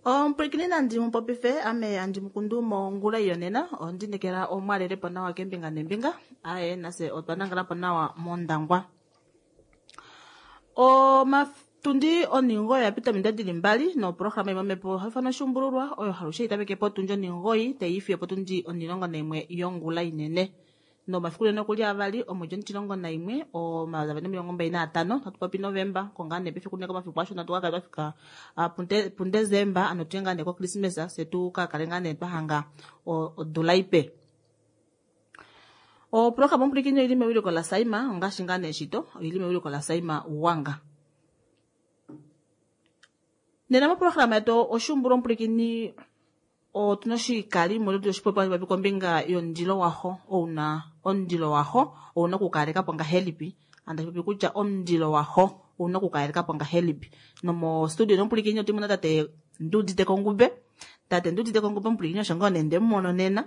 Omupwilikini nandi mu popife ame andi mukundu mongula yonena ondinekela omwalelepo nawa kembinga nembinga aye nase otwa nangalapo nawa mondangwa. Omatundi oningoyi yapita ominute dili mbali noprograma imwe haifana oshumbululwa oyo halushe itameke potundi oningoyi taiifiyo potundi 11 yongula inene. Nomafiku nene okuli avali omwedi omutilongo naimwe 2025 hatu popi Novemba konga ne pefiku ne komafiku ashona tukakale twafika puDesemba ano tuye ngaa ne koChristmas fye tukakale ngaa ne twahanga odula ipe. Oprograma omupulikini oili mewiliko laSaima ongaashi ngaa nee shito oili mewiliko laSaima Uwanga. Nena moprograma yetu oshumbulwa omupulikini otuna oshikalimo ile oshipopiwa popi kombinga yomundilo waho ouna omundilo waho ouna okukalekapo ngahelipi andi popi kutya omundilo waho ouna okukalekapo ngahelipi. Nomo studio nomupulikini otimuna tate Ndudite Kongube. Tate Ndudite Kongube omupulikini osho ngoo nee ndemumono nena.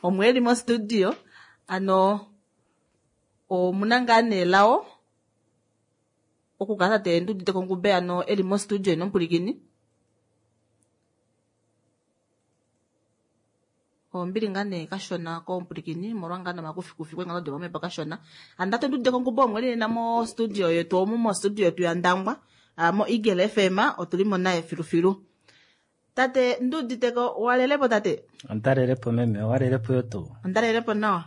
Omwe eli mo studio ano omuna ngaa nee lao okukala tate Ndudite Kongube ano eli mo studio nomupulikini. Ombili ngaa nee kashona komupulikini molwa ngaa nomakufikufi kwengalo domomepo kashona. Ando tate Ndudite Kongube omwe li nena mo studio yetu omu mo studio yetu ya Ndangwa mo Eagle FM otuli mo naye filufilu. Tate Nduditeko walelepo tate? Ondalelepo meme, walelepo yo tuu? Ondalelepo nawa.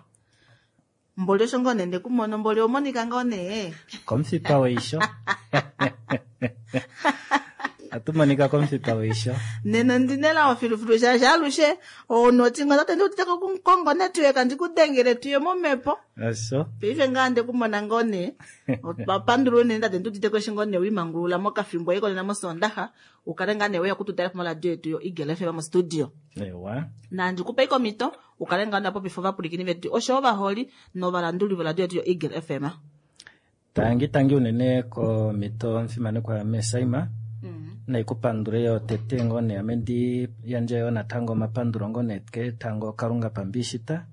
Mboli osho ngoo nee ndekumono, mboli omonika ngoo nee. Komufipa weisho. Atu monika komufipa weisho. Nena ndinela ofilufilu shaashi alushe onoti ngo tate Nduditeko kongo network ndikudengele tuye momepo. Osho. Paife ngaa ndekumona ngoo nee. Otwa pandula unene tate Nduditeko eshi ngoo nee wimangulula mokafimbo eko nena mOsoondaxa. Ukale ngaa nee weya okututala moradio yetu yo Eagle FM mo studio. Ewa. Nandi kupe ikomito ukale ngaa napopifa ovapulikini vetu osho ovaholi novalanduli voradio yetu yo Eagle FM. Tangi tangi unene komito mfimanekwa meSaima. Naikupandule yo tete ngoo nee ame ndi yandje yo natango omapandulo ngoo nee ketango Kalunga pambishita.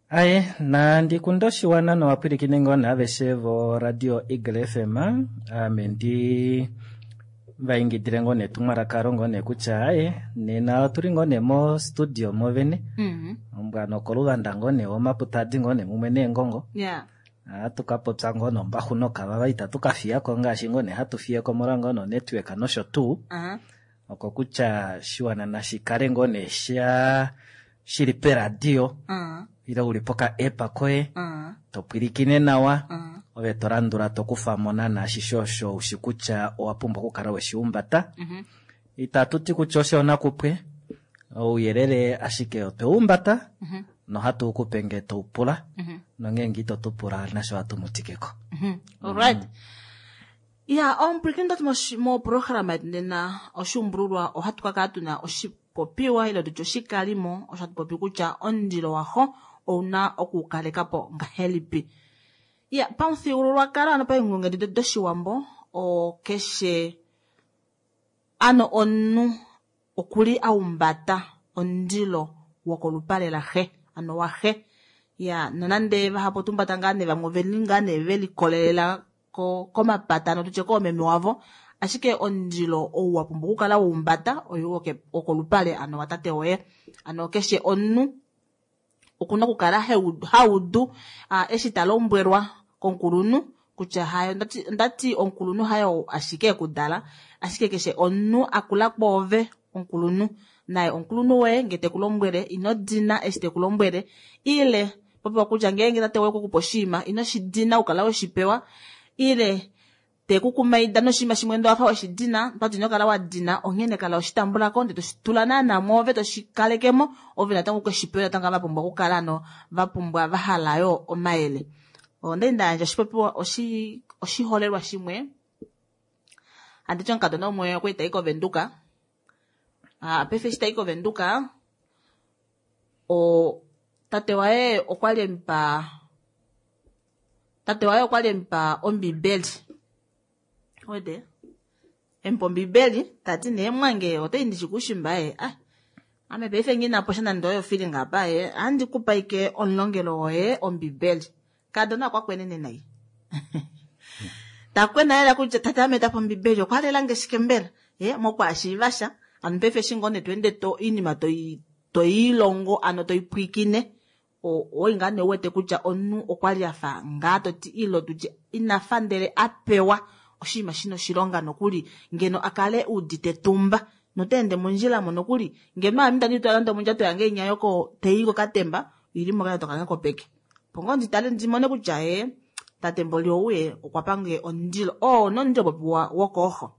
Aye, nandi kunda oshiwana novapwilikini ngoo nee aveshe vo radio Eagle FM, ame ndi vaingidile ngoo nee etumwalaka lo ngoo nee kutya aye, nena otuli ngoo nee mo studio movene. Ombwa nokoluvanda ngoo nee omaputadi ngoo nee mumwe neengongo. Ohatu ka popya ngoo nombaxu nokavava itatu ka fiyako ngaashi ngoo nee hatu fiyeko molwa ngoo nonetwork nosho tuu. Oko kutya shiwana nashi kale ngoo nee sha shili peradio ile uli poka app koye to pwilikine nawa ove to landula to kufa mo naana ashishe osho ushi kutya owa pumbwa okukala weshi humbata. Itatu ti kutya osho nakupwe ouyelele ashike otwe humbata nohatu ukupe ngee to upula nongeenge ito tu pula nasho ohatu mutikeko. Alright. Ya, omupwilikini ndati moprograma yetu nena oshumbululwa ohatu kakala tuna oshipopiwa ile tutye oshikalimo osho hatu popi kutya omundilo waho ouna okukalekapo ngahelipi. Ya, pamufyuululwakalo ano paenghulunghedi doshiwambo okeshe ano omunhu okuli aumbata omundilo wokolupale laxe ano waxe. Ya, nonande vahapu otumbata ngaa nee vamwe oveli ngaa nee velikolelela komapata ano tutye koomeme wavo, ashike omundilo ou wa pumbwa okukala waumbata oyo wokolupale ano watate woye. Ano keshe omunhu okuna okukala haudu eshi ta lombwelwa komukulunhu kutya hayo ondati omukulunhu hayo ashike ekudala, ashike keshe omunhu akula kwoove omukulunhu naye omukulunhu woye nge tekulombwele ino dina eshi tekulombwele, ile popiwa kutya ngeenge tate woye okukupa oshinima ino shi dina ukala weshipewa, ile tekukumaida noshinima shimwe ndo wafa weshidina otati ino kala wa dina, onghene kala weshitambulako ndele toshitula naana mwoove toshikalekemo ove natango ukeshipewe natango va pumbwa okukala ano va pumbwa va hala yo omayele. Ondali nda yandja oshipopiwa oshiholelwa shimwe anditi omukadona umwe okwali tai koVenduka. Paife eshi tai koVenduka tate waye okwali emupa tate waye okwali emupa ombibeli. Wede emupa ombibeli tati nee mwange otai ndishi kushimba ye ame paife ngina po sha nande oyo feeling apa ye andi kupa ike omulongelo woye ombibeli. Kadona okwa kwenene nai. Takwena lela kutya tate ame tapa ombibeli okwa lela nge shike mbela. Mokwaashiiva sha. Hano paife eshi ngoo nee to ende to oinima toiilongo ano toipwiikine, owai ngaa nee uwete kutya omunhu okwali afa ngaa toti ilo tutye inafa ndele a pewa oshinima shina oshilonga nokuli ngeno akale udite tumba nota ende mondjila mo nokuli ngeno ame itandi twala nande omondjato yange inya yoko tei kokatemba ili mokandjato kange kopeke opo ngoo nditale ndimone kutya ee tate mboli ouye okwa pange omundilo oo nomundilo popiwa wokooxo.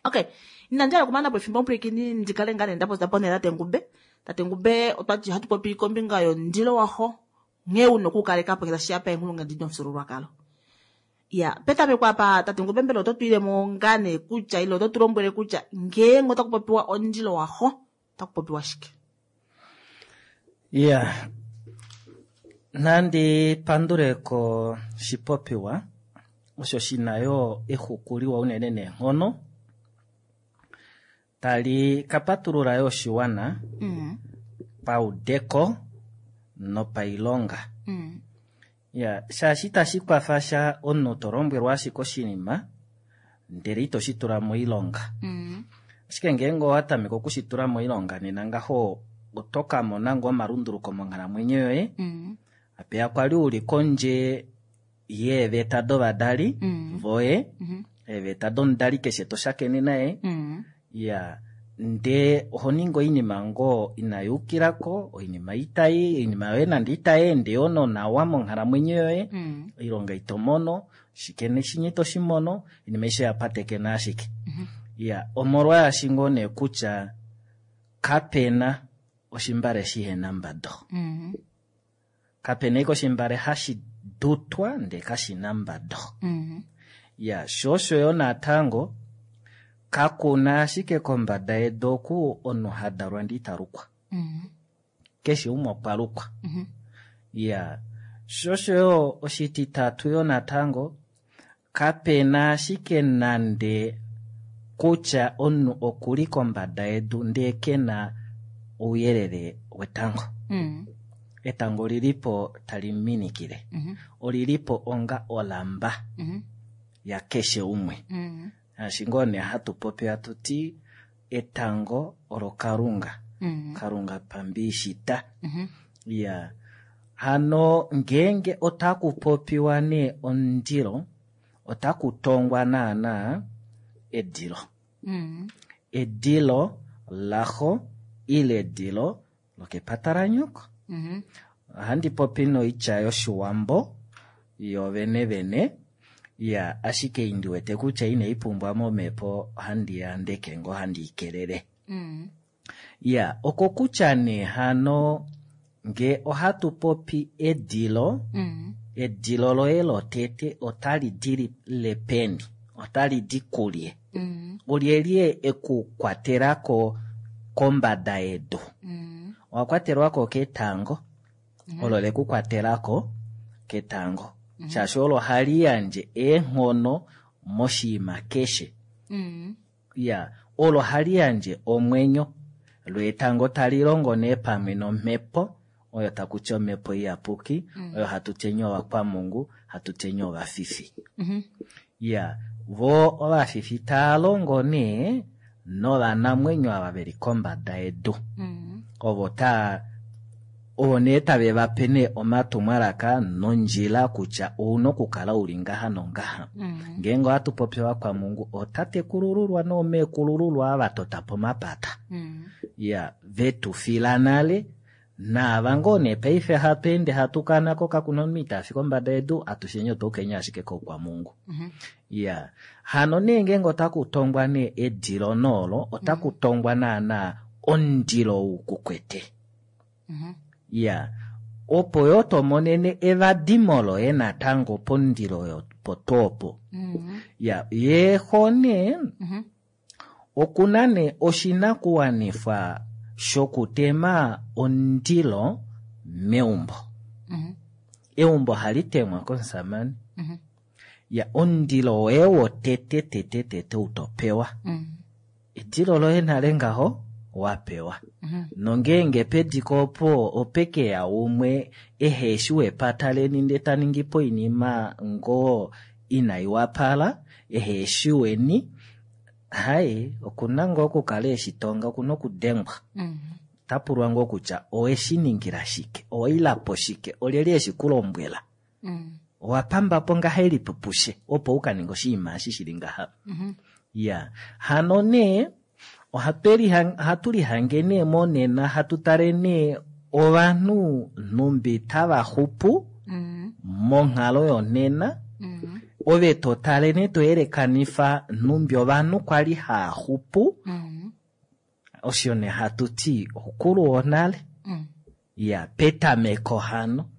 Okay, inandi hala okumana po efimbo omupwilikini ndikale ngaa nee ndapopya po tate Ngube. Tate Ngube otwati ohatu popi kombinga yomundilo waxo nghee una okukaleka po ngee tashiya paenghulunghedi domufyuululwakalo. Ya, petameko apa tate Ngube mbela oto twiilemo ngaa nee kutya ile oto tu lombwele kutya ngeenge otaku popiwa omundilo waxo otaku popiwa shike? Ya, nandi pandule koshipopiwa osho shina yo exuku liwa unene neenghono tali ka patulula yo oshiwana paudeko nopailonga. Ya, shaashi itashi kwafa sha omunhu to lombwelwa ashike oshinima ndele ito shi tula moilonga. Ashike ngeenge owa tameke okushi tula moilonga nena ngaho oto ka mona ngoo omalunduluko monghalamwenyo yoye. Apeya kwali uli kondje yeeveta dovadali voye, eeveta domudali keshe to shakene naye. Ya, ndee oho ningi oinima ngoo inai yukilako, oinima itai, oinima yoye nande itai ende yoo nonawa monghalamwenyo yoye, oilonga ito mono, shike neshinye ito shi mono, oinima aishe oya patekena ashike. Ya, omolwaashi ngoo nee kutya kapena oshimbale shihena mbado. Kapena ike oshimbale hashi dutwa ndee kashina mbado. Ya, sho osho yo natango kakuna ashike kombada yedu oku omunhu hadalwa ndee italukwa. Keshe umwe okwa lukwa. Ya, sho osho yo oshititatu yo natango kapena ashike nande kutya omunhu okuli kombada yedu ndee kena ouyelele wetango. Etango olilipo tali minikile. Olilipo onga olamba yakeshe umwe. Ngaashi ngoo nee hatu popi hatu ti etango olo Kalunga. Kalunga pambiishita. Ya, hano ngeenge otaku popiwa nee omundilo, otaku tongwa naana edilo. Edilo laxo ile edilo lokepata lanyoko. Ohandi popi noitya yoshiwambo yovene vene. Ya, ashike indi wete kutya inai pumbwa momhepo ohandi yandeke ngoo handi ikelele. Ya, oko kutya nee hano nge ohatu popi edilo, edilo loye lotete otali dile peni, otali di kulye. Olyelye ekukwatelako kombada yedu? Owa kwatelwako ketango, olo lekukwatelako ketango. Shaashi olo hali yandje eenghono moshinima keshe. Ya, olo hali yandje omwenyo. Lo etango tali longo nee pamwe nomhepo, oyo takuti omhepo iyapuki, oyo hatu tye ovakwamungu, hatu tye ovafifi. Ya, vo ovafifi taa longo nee novanamwenyo ava veli kombada yedu. Ovo taa ovo nee tave vape nee omatumwalaka nondjila kutya ouna okukala uli ngaha nongaha. Ngeenge ohatu popi ovakwamungu, ootatekulululwa noomeekulululwa ava tota po omapata. Ya, vetu fila nale, naava ngoo nee paife hatu ende hatu kanako kakuna omunhu ita fi kombada yedu, atusheni otwa ukenya ashike koukwamungu. Ya, hano nee ngeenge otaku tongwa nee edilo noolo, otaku tongwa naana omundilo ou kukwete. Ya, opo yo tomonene evadimo loye natango pomundilo potoopo. Ya, yeexo nee, okuna nee oshinakuwanifwa shokutema omundilo meumbo. Eumbo hali temwa komusamane. Ya, omundilo woye wotete tete tete utopewa. Edilo loye nale ngaho wapewa. Nongeenge pediko opo opekeya umwe eheshi wepata leni ndee ta ningi po oinima ngoo inai wapala, eheshi weni, Hai, okuna ngoo okukala eshitonga, okuna okudengwa. Ota pulwa ngoo kutya oweshi ningila shike, owaila po shike, olyelye eshi ku lombwela, owa pamba po ngahelipi pushe opo u ka ninge oshinima eshi shili ngaha. Ya, hano nee ohatu lihange nee monena hatu tale nee ovanhu nhumbi tava xupu monghalo yonena, ove to tale nee to yelekanifa nhumbi ovanhu kwali haa xupu, osho nee hatu ti okulu wonale. Ya, petameko hano.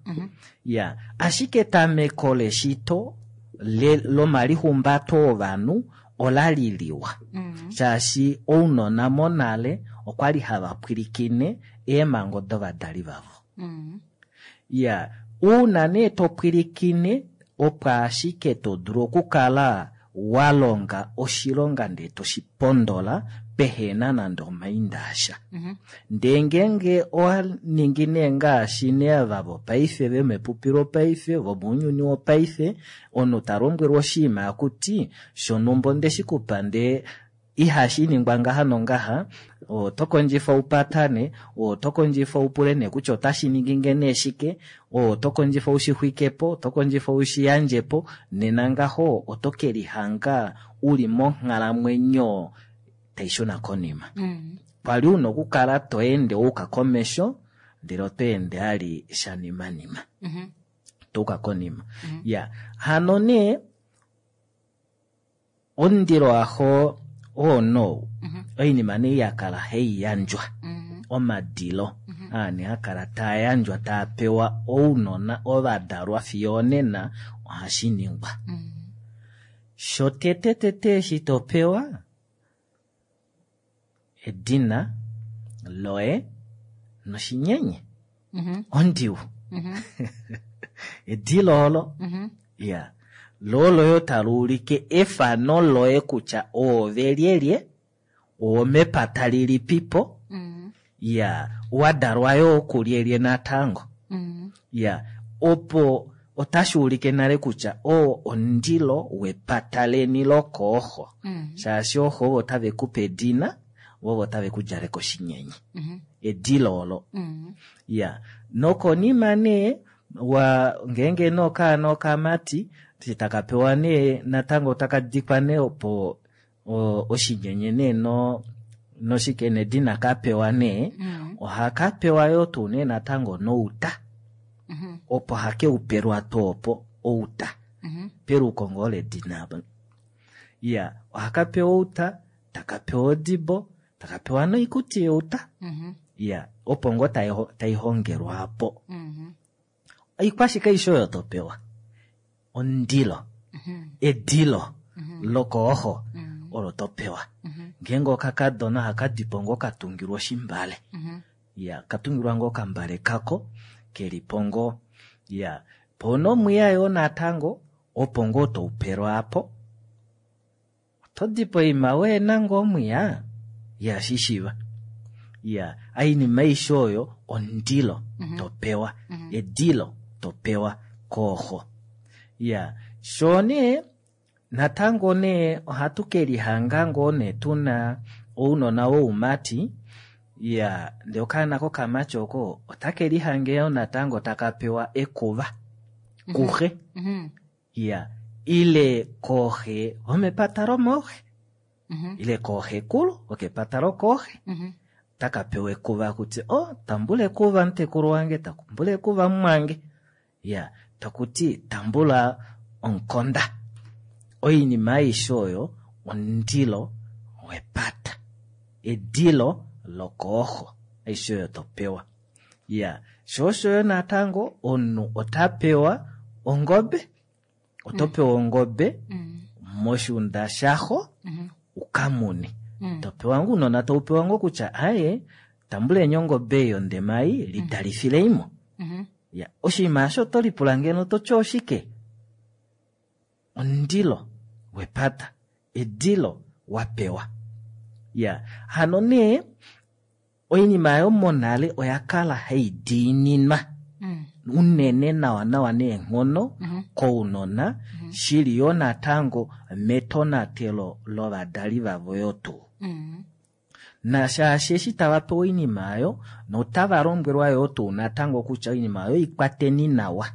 Ya, ashike etameko leshito lomalihumbato ovanhu ola li liwa. Shaashi ounona monale okwali hava pwilikine eemhango dovadali vavo. Ya, uuna nee to pwilikine opo ashike to dulu okukala wa longa oshilonga ndee to shi pondola pehena nande omainda asha. Ndee ngeenge owa ningi nee ngaashi nee ava vopaife vemepupi lopaife vomounyuni wopaife, omunhu ta lombwelwa oshinima akuti shonhumba onde shi kupa ndee ihashi ningwa ngaha nongaha, oto kondjifa upatane, oto kondjifa upule nee kutya otashi ningi nge nee shike, oto kondjifa ushixwikepo, oto kondjifa ushiyandjepo, nena ngaho oto ke lihanga uli monghalamwenyo tai shuna konima. Kwali una okukala to ende wa yuka komesho, ndele oto ende ali shanimanima. To uka konima. Ya, hano nee omundilo waxo oo oinima nee yakala hai yandjwa, omadilo aa nee hakala taa yandjwa taa pewa ounona ovadalwa fiyo onena ohashi ningwa. Shotete tete eshi to pewa edina loye noshinyenye ondiu. Edilo olo, ya, lo loye tali ulike efano loye kutya oove lyelye, owomepata lilipipo, ya, wadalwa yoo kulyelye natango. Ya, opo otashi ulike nale kutya oo omundilo wepata leni lokooxo. Shaashi ooxo ovo tave kupe edina, vovo tave ku djaleke oshinyenye. Edilo olo. Ya, nokonima nee wa ngeenge nee okaana okamati taka pewa nee natango taka dikwa nee opo oshinyenye nee noshike nedina ka pewa nee, ohaka pewa yoo tuu nee natango nouta. Opo hake upelwa tuu opo outa. Peluko ngoo ledina apa. Ya, ohaka pewa outa, taka pewa odibo, taka pewa noikuti youta. Ya, opo ngoo tai hongelwa apo. Oikwashike aishe oyo to pewa? Omundilo. Edilo lokooxo olo to pewa. Ngeenge okakadona ohaka dipo ngoo katungilwa oshimbale. Ya, katungilwa ngoo okambale kako kelipo ngoo. Ya, po nomwiya yoo natango opo ngoo toupelwa apo. Oto dipo oima weena ngoo omwiya ya shishiva. Ya, oinima aishe oyo omundilo to pewa. Edilo to pewa kooxo. Ya, sho nee natango nee ohatu ke lihanga ngoo nee tuna ounona woumati. Ya, ndee okaana kokamati oko otake lihange yoo natango taka pewa ekuva kuxe. Ya, ile kooxe vomepata lomooxe, ile kooxekulu vokepata lokooxe, taka pewa ekuva kutya o tambula ekuva mutekulu wange, tambula ekuva mumwange. Ya, takuti tambula omukonda. Oinima aishe oyo omundilo wepata, edilo lokooxo, aishe oyo to pewa. Ya, sho osho yo natango omunhu ota pewa ongobe, oto pewa ongobe moshiunda shaxo ukamune. To pewa ngoo ounona tau pewa ngoo kutya aye tambuleni ongobe yondema ei lidalifileimo. Ya, oshinima osho oto lipula ngeno toti oshike? Omundilo wepata, edilo wa pewa. Ya, hano nee oinima yomonale oya kala hai diininwa. unene nawa nawa neenghono kounona, shili yoo natango metonatelo lovadali vavo yoo tuu. Nashaashi eshi tava pewa oinima oyo notava lombwelwa yoo tuu natango kutya oinima oyo ikwateni nawa,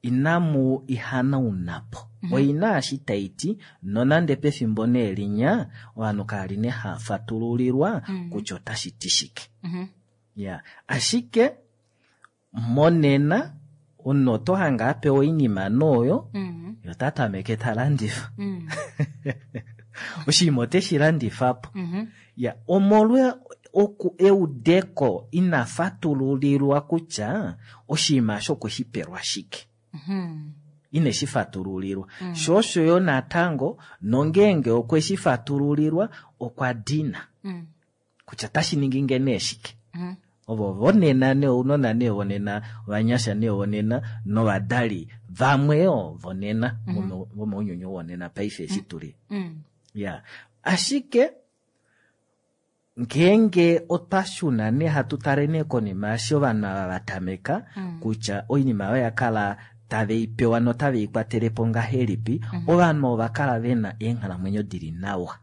inamu ihanaunapo. Oina eshi tai ti, nonande pefimbo nee linya ovanhu kali ne hafatululilwa kutya otashi ti shike. Ya, ashike monena omunhu oto hange a pewa oinima nooyo, ye ota tameke ta landifa. Oshinima oteshi landifa po. Ya, omolwa oku eudeko ina fatululilwa kutya oshinima osho okwe shi pelwa shike. Ine shi fatululilwa. Sho osho yo natango, nongeenge okwe shi fatululilwa, okwa dina. Kutya tashi ningi nge nee shike. Ovo vonena nee, ounona nee vonena, ovanyasha nee vonena, novadali vamwe yo vonena, vomounyuni wonena paife eshi tuli. Ya, ashike ngeenge otwa shuna nee hatu tale nee konima eshi ovanhu ava va tameka kutya oinima oyo ya kala tave i pewa notave i kwatele po ngahelipi, ovanhu ova kala ve na eenghalamwenyo dili nawa.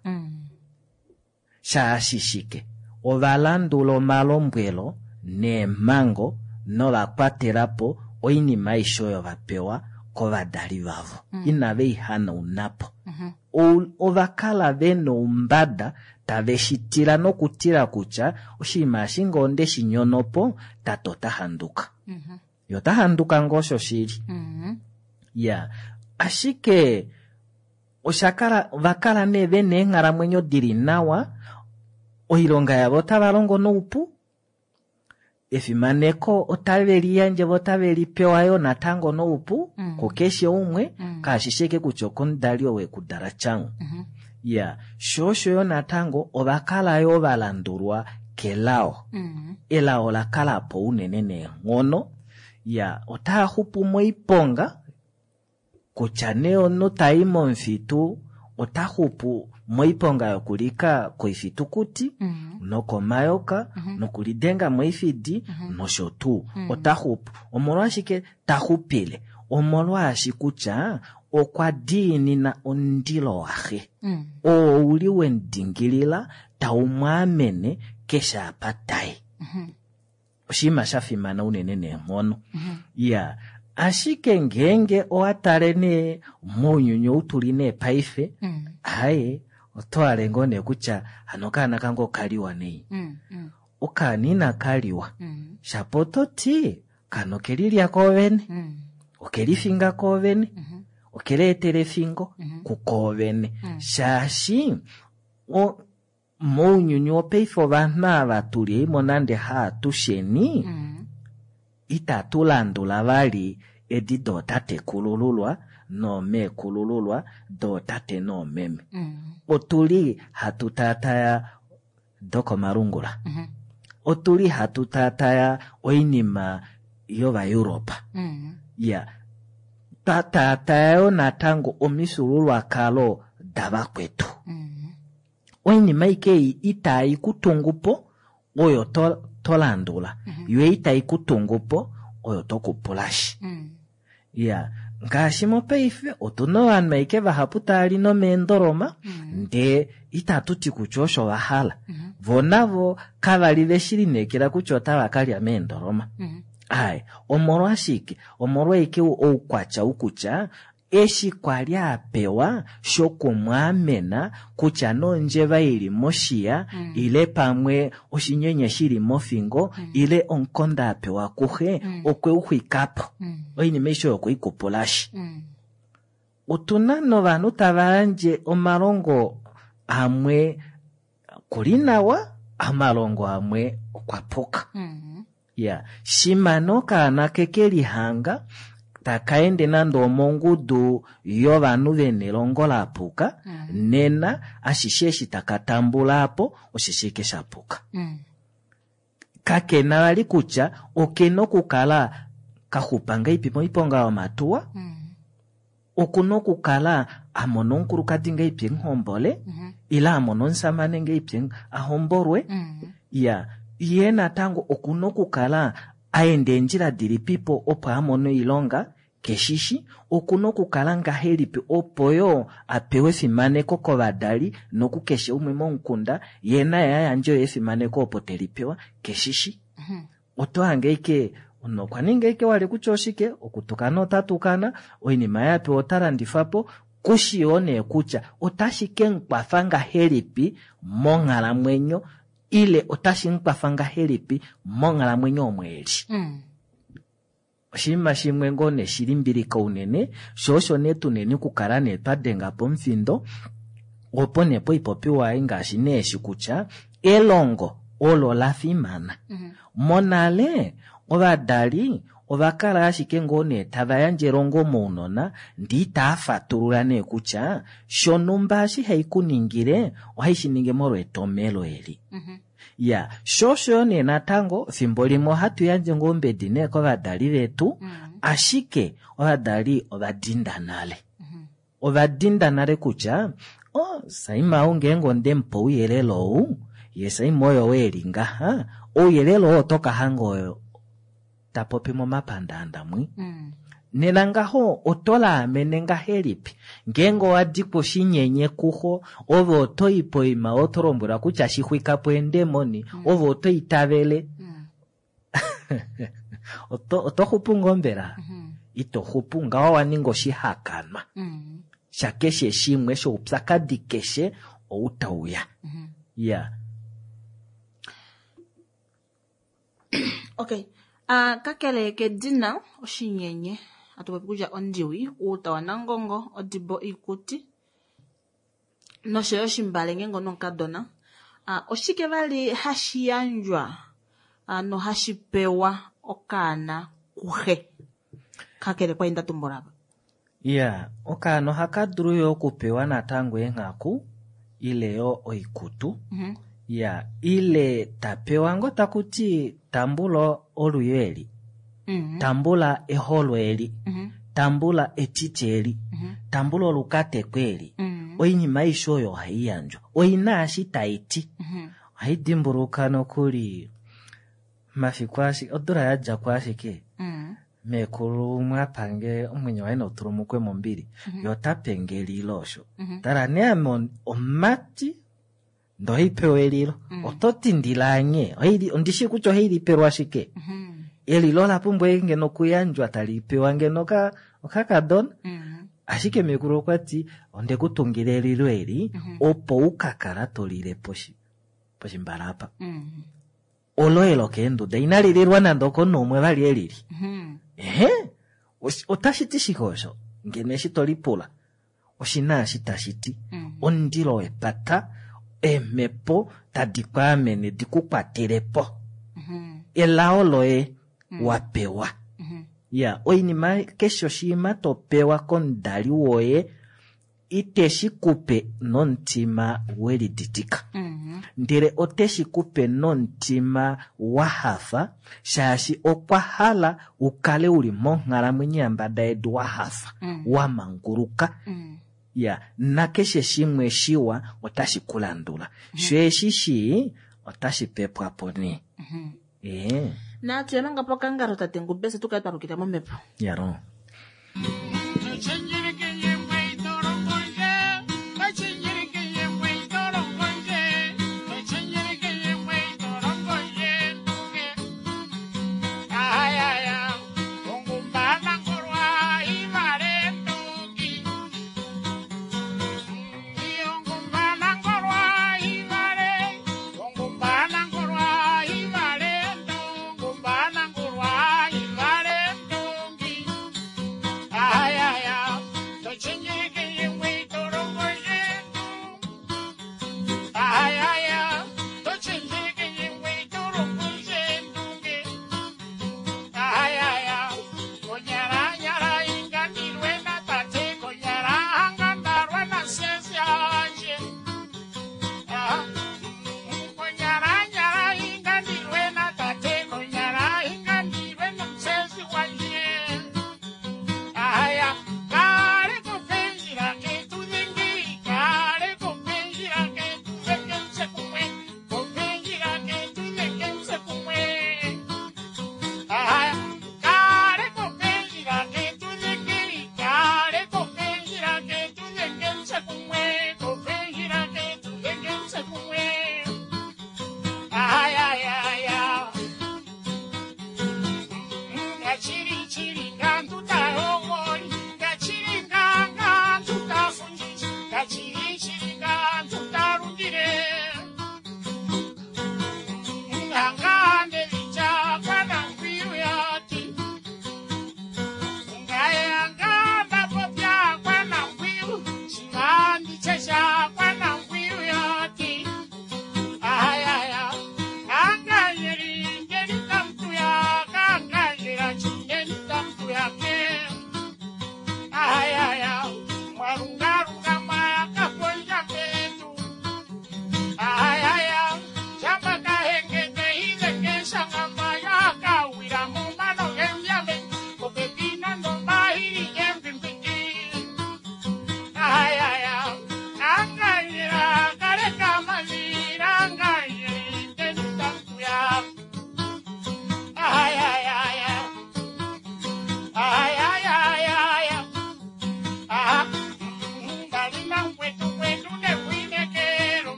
Shaashi shike? Ova landula omalombwelo neemhango nova kwatela po oinima aishe oyo va pewa kovadali vavo. Inave i hanauna po. Ova kala ve noumbada tave shi tila nokutila kutya oshinima eshi ngee onde shi nyono po, tate ota handuka. Ye ota handuka ngoo osho shili. Ya, ashike osha kala, ova kala nee ve na eenghalamwenyo dili nawa, oilonga yavo otava longo noupu, efimaneko otave li yandje vo otave li pewa yo natango noupu kukeshe umwe, kashi sheke kutya okomudali ou ekudala tyangu. Ya, sho osho yo natango ova kala yo va landulwa kelao. Elao la kala po unene neenghono. Ya, otaa xupu moiponga, kutya nee omunhu tai momufitu ota xupu moiponga yokulika koifitukuti, nokomayoka, nokulidenga moifidi, nosho tuu. Ota xupu. Omolwashike ta xupile? Omolwaashi kutya okwa diinina omundilo waxe. Oo uli we mu dingilila, tau mu amene keshe apa tai. Oshinima sha fimana unene neenghono. Ya, ashike ngeenge owa tale nee mounyuni ou tuli nee paife, aye, oto hale ngoo nee kutya hano okaana kange okaliwa nei. Okaana inaka liwa. Shapo oto ti, okaana okelilya koovene, okelifinga koovene, okeleetela efingo kukoovene. Shaashi mounyuni wopaife ovanhu ava tuli eimo nande haatusheni, itatu landula vali edi dootatekulululwa noomeekulululwa, dootate noomeme. Otuli hatu taataya dokomalungula. Otuli hatu taataya oinima yOvaeuropa. Ya, twa taataya yo natango omifyuululwakalo davakwetu. Oinima aike ei itai ku tungu po oyo to landula, yo itai ku tungu po oyo to kupulashi. Ya, ngaashi mopaife otuna ovanhu aike vahapu tava li nomeendoloma, ndee itatu ti kutya osho va hala. Vo navo kava li ve shi lineekela kutya otava ka lya meendoloma. Ai, omolwashike? Omolwaike oukwatya ou kutya eshi kwa li a pewa shokumwaamena kutya nondjeva ili moshiya, ile pamwe oshinyenye shili mofingo, ile omukonda a pewa kuxe, okwe u xwika po. Oinima aishe oyo okwe i kupulashi. Otuna novanhu tava yandje omalongo amwe kuli nawa, omalongo amwe okwa puka. Ya, shima nokaana ke ke lihanga taka ende nande omongudu yovanhu ve nelongo la puka, nena ashishe eshi taka tambula apo osheshi eke sha puka. Kakena vali kutya okena okukala ka xupa ngahelipi moiponga yomatuwa, okuna okukala a mona omukulukadi ngahelipi emuhombole, ile a mona omusamane ngahelipi a hombolwe. Ya, ye natango okuna okukala Aende eendjila dilipipo opo amone oilonga keshishi, okuna okukala ngahelipi opo yoo apewe efimaneko kovadali nokukeshe umwe momukunda, yee naye ayandje yo efimaneko opo telipewa keshishi. Oto hange ashike omunhu okwa ninga ashike wali kutya oshike, okutukana ota tukana, oinima yapewa ota landifapo, kushi yoo nee kutya otashi kemukwafa ngahelipi monghalamwenyo ile otashi mukwafa ngahelipi monghalamwenyo omo eli. Oshinima shimwe ngoo nee shilimbilika unene, sho osho nee tuneni okukala nee twa denga pomufindo opo nee poipopiwa ei ngaashi nee eshi kutya elongo olo la fimana. Monale ovadali ova kala ashike ngoo nee tava yandje elongo mounona ndee itava fatulula nee kutya shonumba eshi haikuningile ohaishi ningi molwa etomelo eli. Ya, sho osho yo nee natango fimbo limwe ohatu yandje ngoo ombedi nee kovadali vetu, ashike ovadali ova dinda nale. Ova dinda nale kutya oh, Saima ou ngeenge ondemupa ouyelele ou, ye Saima oyo eli ngaha, ouyelele oo oto ka hanga oyo ta popi momapandaanda mwi. Nena ngaho oto laamene ngahelipi ngeenge owa dikwa oshinyenye kuxo, ove oto i poima oto lombwelwa kutya shixwika po eendemoni, ove oto itavele. Oto xupu ngoo mbela? Ito xupu ngaho wa ninga oshihakanwa shakeshe shimwe shoupyakadi keshe ou tauya. Ya. Okay. Kakele kedina oshinyenye atupopi kutya ondiwi, uuta wanangongo, odibo iikuti noshoyo oshimbale ngeenge onomukadona. Oshike vali hashi yandjwa nohashi pewa okaana kuxe kakele kwa inda tumbula apa? Ya, okaana ohaka dulu yo okupewa natango eenghaku ile yo oikutu. Ya, ile tapewa ngo takuti tambula oluyo eli, tambula eholo eli, tambula etiti eli, tambula olukateko eli. Oinima aishe oyo ohai yandjwa oina eshi taiti. Ohai dimbuluka nokuli mafiku ashike odula yadjako ashike meekulu mwapange omwenyo waye nautulumukwe mombili, ye ota penge elilo osho. Tala nee ame omumati ndee ohaipewa elilo, oto ti ndilaanye, ondishi kutya ohailipelwa ashike. Elilo ola pumbwa ngeno okuyandjwa tali pewa ngeno okakadona. Ashike meekulu okwa ti onde ku tungila elilo eli opo ukakala tolile poshimbala apa. Olo elo keenduda inali lilwa nande okomunhu umwe vali elili. Ehe, otashi ti shike osho? Ngeno eshi tolipula oshina eshi tashi ti. Omundilo wepata, eemhepo tadi kwaamene di ku kwatele po. Elao loye wa pewa. Ya, oinima keshe oshinima to pewa komudali woye iteshi kupe nomutima weliditika. Ndele oteshi kupe nomutima wa hafa, shaashi okwa hala ukale uli monghalamwenyo yambada yedu wa hafa, wa manguluka. Ya, nakeshe shimwe shiwa otashi kulandula. Sho eshi shii otashi pepwa po nee. Natu yamanga po kangalo tate Ngubese tukale twa lukila momhepo. Yaro. Ay, ay, ay.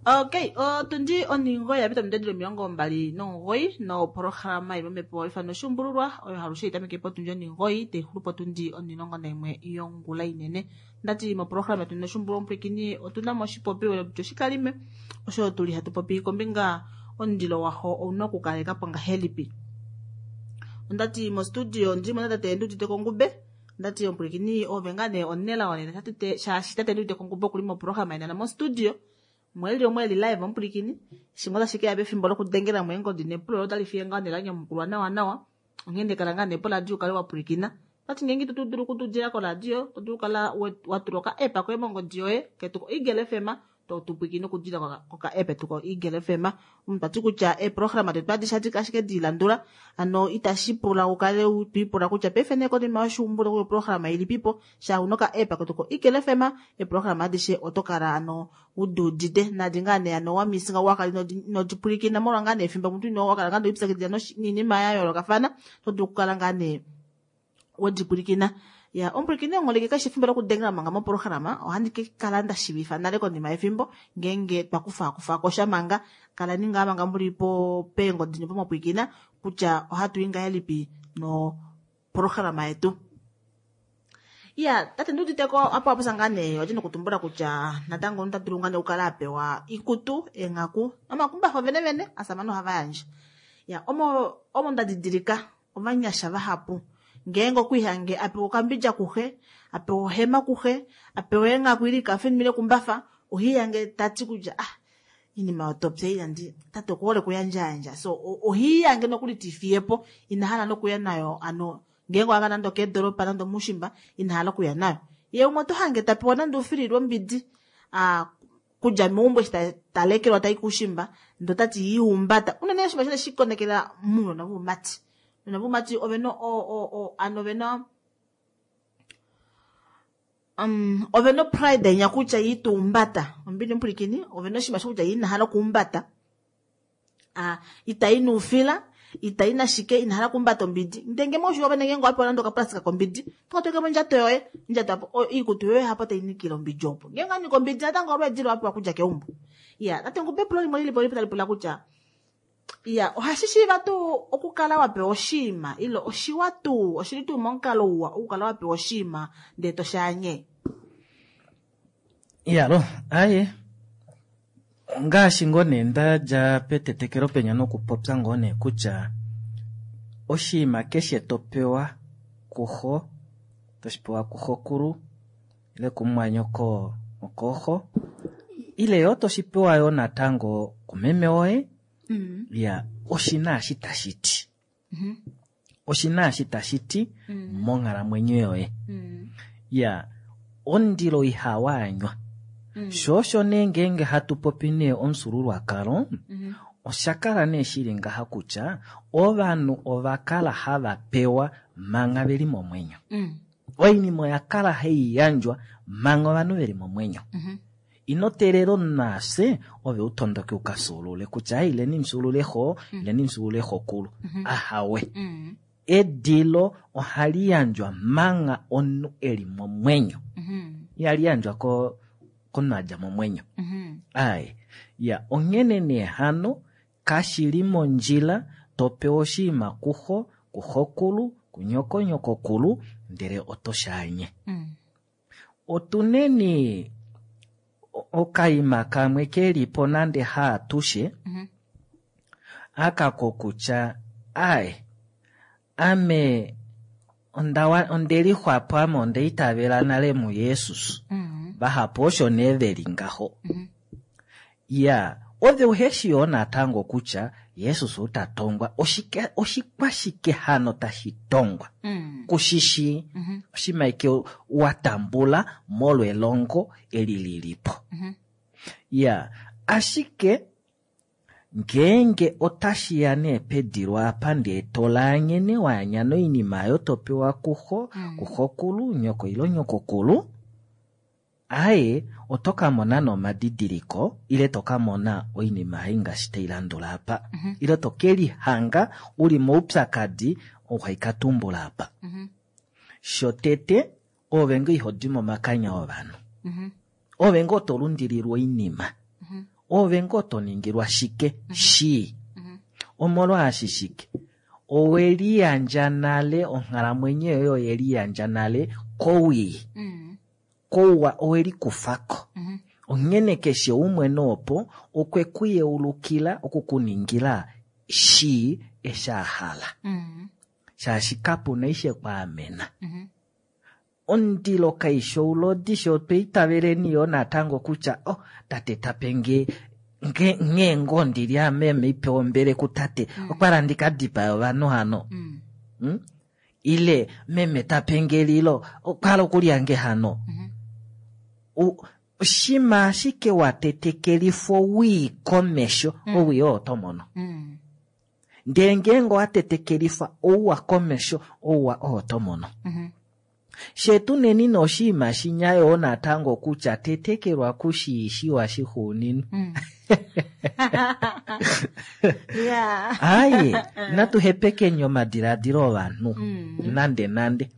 Okay, otundi oningo ya pita omidedilo 29 nopolohalama ili momhepo ifano oshuumbululwa oyo halushe itameke potundi oningoyi taixulu potundi 11 yongula inene. Ndati mopolohalama yetu noshuumbululwa omupwilikini otuna mo oshipopiwa oshikalime osho tuli hatu popi kombinga omundilo waho ouna okukaleka po ngahelipi. Ondati mostudio ndilimo natate Nduudite Kongube. Ndati omupwilikini ove ngaa nee onelao nena shaashi tate Nduudite Kongube okuli mopolohalama nena mostudio. Mweli omweli live omupwilikini shimwe otashi keya pefimbo lokudengela mo eengodi nepulo otali fiye ngaa nee lanyamukulwa nawa nawa. Onghee kala ngaa nee poradio ukale wa pwilikina. Tati ngeenge ito dulu okutudila koradio, to dulu okukala wa tula oka-app koye mongodi yoye ketu ko-Eagle FM, to tu pwilikine okudila koka-app etu ko-Eagle FM. Omuntu tati kutya eeprograma detu adishe adi ashike dilandula, ano itashi pula ukale twiipula kutya paife nee konima yoshuumbulo oprograma ilipipo, sha una oka-app ketu ko-Eagle FM, eeprograma adishe oto kala ano uduudite nadi ngaa nee ano wamisinga wakala inodipwilikina molwa ngaa nee efimbo omuntu ino wakala ngaa noipyakidhila niinima ya yoolokafana, oto dulu okukala ngaa nee wedipwilikina. Ya omupwilikini ongoleke kashi efimbo lokudengela manga mopolohalama, ohandi ke kala nda shiivifa nale konima yefimbo ngeenge twa kufa kosha manga, kalani ngaa manga muli po peengodi nepomapwilikina kutya ohatu i ngahelipi nopolohalama yetu. Ya tate Nduuditeko apo aposa ngaa nee wadja nokutumbula kutya natango omuntu ota dulu ngaa nee okukala a pewa ikutu, eenghaku nomakumbafa venevene asamane ohava yandje. Ya omo nda didilika ovanyasha vahapu ngeenge okwiihange apewa okambidja kuxe, apewa ohema kuxe, apewa eenghaku ili kafenimile ekumbafa, ohiihange tati kutya ah inima yotopya inandi tate okuhole okuyandjayandja, so ohiihange nokuli tifiyepo inahala nokuya nayo ano ngeenge owaka nande okeedoropa nande omuushimba inahala okuya nayo. Ye umwe oto hange tapewa nande oufilili wombidi kudja meumbo eshi talekelwa tai kuushimba ndee otati yiihumbata unene oshinima shine shikonekela mounona voumati. Ounona voumati ovena ano ovena ovena pride inya kutya yiituumbata ombili omupwilikini ovena oshinima shokutya inahala okuumbata itai nuufila itai nashike inahala okuumbata ombidi ndenge moshuwa vene ngeenge owapewa nande okaplastika kombidi tokatweke mondjato yoye ondjato apo iikutu yoye hapo tainikile ombidi opo ngeenge anika ombidi natango olweedi lwapewa kudja keumbo. Ya tate Ngube epulo limwe lilipo lipo tali pula kutya ya ohashi shiiva tuu okukala wapewa oshiima ile oshiwa tuu oshili tuu momukalo uwa okukala wapewa oshiima ndee toshaanye? Iyalo aye Ongaashi ngoo nee ndadja petetekelo penya nokupopya ngoo nee kutya oshinima keshe topewa kuxo, toshipewa kuxokulu ile kumumwanyoko okooxo, ile yoo toshipewa yoo natango kumeme woye, ya oshina eshi tashi ti. Oshina eshi tashi ti monghalamwenyo yoye. Ya omundilo ihawaanywa. Sho osho nee ngeenge hatu popi nee omufyuululwakalo, osha kala nee shili ngaha kutya ovanhu ova kala hava pewa manga veli momwenyo. Oinima oya kala hai yandjwa manga ovanhu veli momwenyo. Ino teelela omunhu afye ove utondoke ukafyuulule kutya ileni mufyuulule xo, ileni mufyuulule xokulu. Ahawe. Edilo ohali yandjwa manga omunhu eli momwenyo. Ihali yandjwa komunhu adja momwenyo. Aye. Ya, onghene nee hano kashili mondjila topewa oshinima kuxo, kuxokulu, kunyoko, nyokokulu, ndele oto shaanye. Otuneni okaima kamwe kelipo nande haatushe, aka kokutya aye, ame ondelixwapo ame ondeitavela nale muJesus. Vahapu osho nee veli ngaho. Ya, ove uheshi yoo natango kutya Jesus ota tongwa, oshikwashike hano tashi tongwa? Kushishi, oshimaike wa tambula molwelongo eli lilipo. Ya, ashike ngeenge otashi ya nee pedilo apa ndee tolaanyene waanya noinima oyo topewa kuxo, kuxokulu, nyoko ile nyokokulu, aye, oto ka mona nomadidiliko ile to ka mona oinima ei ngaashi tai landula apa. Ile to ke lihanga uli moupyakadi ou hai ka tumbula apa. Shotete, ove ngoo iho di momakanya ovanhu. Ove ngoo to lundililwa oinima. Ove ngoo to ningilwa shike shii. Omolwaashi shike? Owe liyandja nale, onghalamwenyo yoye oye liyandja nale kowii. Kouwa owe likufako. Onghene keshe umwe noopo okwe ku yeulukila oku ku ningila shii eshi a hala. Shaashi kapuna ishe kwaamena. Omundilo kaishi oulodi, sho otwa itaveleni yoo natango kutya oh, tate tape nge nghee ngoo ndili ame meipewa ombele kutate, okwa la ndika dipaye ovanhu hano. Ile meme tape nge elilo, okwa hala okulya nge hano. Shima ashike wa tetekelifwa owii komesho, owii oo oto mono. Ndele ngeenge owa tetekelifwa ouwa komesho, ouwa oo oto mono. Shetu neni noshinima shinya yoo natango kutya tetekelwa kushiishiwa shixuuninwa. Aye, natu hepekeni omadiladilo ovanhu, nande nande.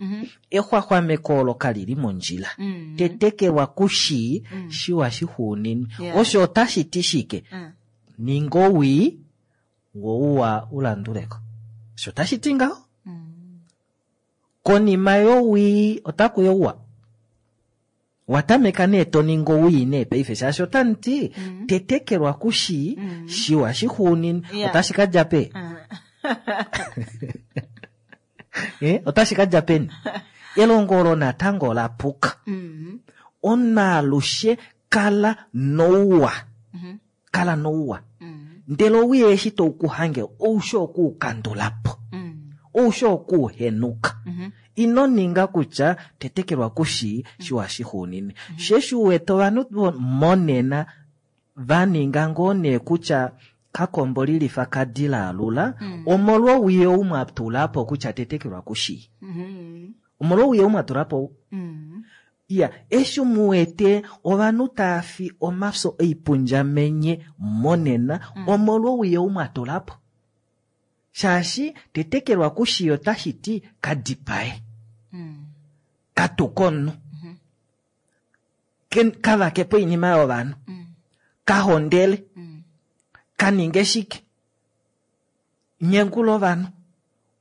Exwaxwameko olo kalili mondjila. Tetekelwa kushii shiwa shixuuninwa. Osho otashi ti shike? Ninga owii, wo uwa ulanduleko. Osho otashi ti ngaho? Konima yowii otaku youwa. Watameka nee to ningi owii nee paife shaashi otamuti tetekelwa kushii shiwa shixuuninwa. Otashi ka dja pe? Otashi ka dja peni? Elongo olo natango ola puka. Omunhu alushe kala nouwa. Kala nouwa. Ndele owii eshi tou ku hange, oushi okuukandula po. Oushi okuuhenuka. Ino ninga kutya tetekelwa kushii shiwa shixuuninwe. Sheshi uwete ovanhu monena va ninga ngoo nee kutya kakombo lilifa kadila alula, omolwowii ou mwa tula po kutya tetekelwa kushii. Omolwowii ou mwa tula po. Ya, eshi muwete ovanhu tava fi omafyo oipundjamenye monena, omolwowii ou mwa tula po. Shaashi tetekelwa kushii otashi ti kadipae. Katuka omunhu. Kavake po oinima yovanhu. Kahondele. Kaninge shike. Nyengula ovanhu.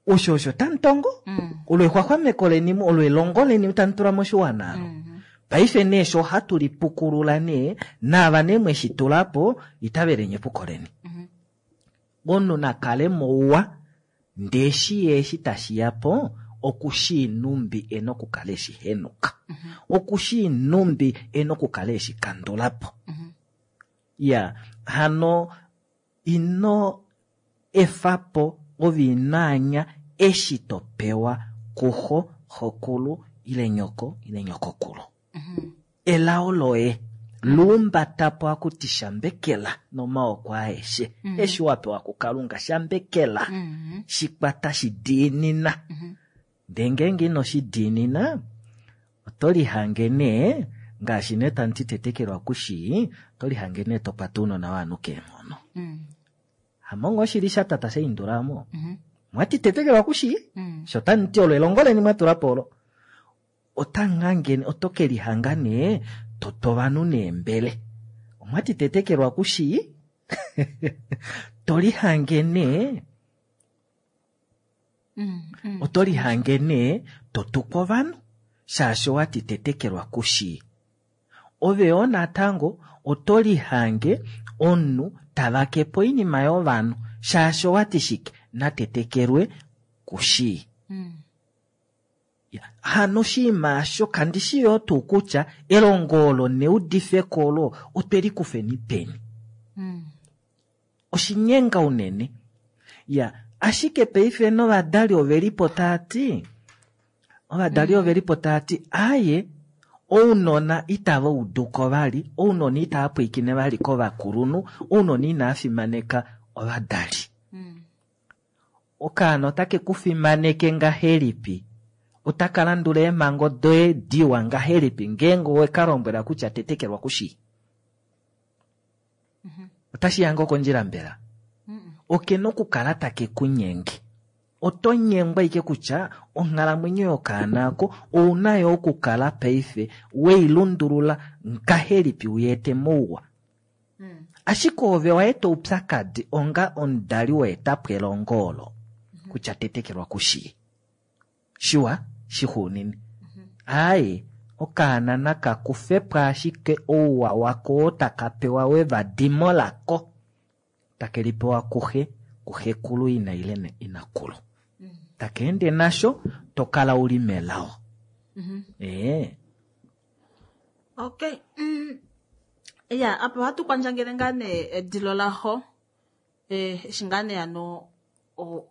Osho osho tamutongo. Olo exwaxwameko leni, olo elongo leni tamu tula moshiwana alo. Paife nee sho ohatu lipukulula nee naava nee mweshi tula po itaveleni epuko leni. Omunhu na kale mouwa ndee eshi ye eshi tashi ya po okushii numbi e na okukala eshi henuka. Okushii numbi e na okukala eshi kandula po. Ya hano ino efa po ove ino anya eshi to pewa kuxo, xokulu ile nyoko ile nyokokulu. Elao loye luumbata po akuti shambekela nomaoko aeshe. Eshi wa pewa kuKalunga shambekela. Shikwata shidiinina. Ndee ngeenge ino shidiinina oto lihange nee ngaashi nee tamu ti tetekelwa kushii, oto lihange nee to kwata ounona wovanhu keenghono. Hamongo oshili shatata shaindulamo. Mwati tetekelwa kushii, sho tamu ti olo elongo leni mwa tula po olo. Otangangene oto ke lihanga nee toto ovanhu neembele. Omwati tetekelwa kushii, to lihange nee oto lihange nee to tukwa ovanhu shaashi owati tetekelwa kushii. Ove yoo natango oto lihange omunhu tavake po oinima yovanhu shaashi owati shike natetekelwe kushii. Hano oshinima osho kandi shi yoo tuu kutya elongo olo neudifeko olo otwe likufeni peni. Oshinyenga unene. Ya, ashike paife novadali ovelipo taati, ovadali ovelipo taati aaye ounona itava uduko vali, ounona itava pwiikine vali kovakulunhu, ounona inava fimaneka ovadali. Okaana otake ku fimaneke ngahelipi? Otaka landula eemhango doye diwa ngahelipi ngeenge owe ka lombwela kutya tetekelwa kushii? Otashi ya ngoo kondjila mbela? Oke na okukala take ku nyenge. Oto nyengwa ike kutya onghalamwenyo yokaana ako ouna yo okukala paife wei lundulula ngahelipi uyeete mouwa. Ashike ove waeta oupyakadi onga omudali waeta po elongo olo kutya tetekelwa kushii. Shiwa shixuunini. Aaye, okaana naka kufe po ashike ouwa wako oo taka pewa wevadimo lako. Take lipewa kuxe, kuxekulu ina ile inakulu. Taka ende nasho to kala uli melao. Okay. Ya, apa ohatu kwandjangele ngaa nee edilo laxo. Eshi ngaa nee ano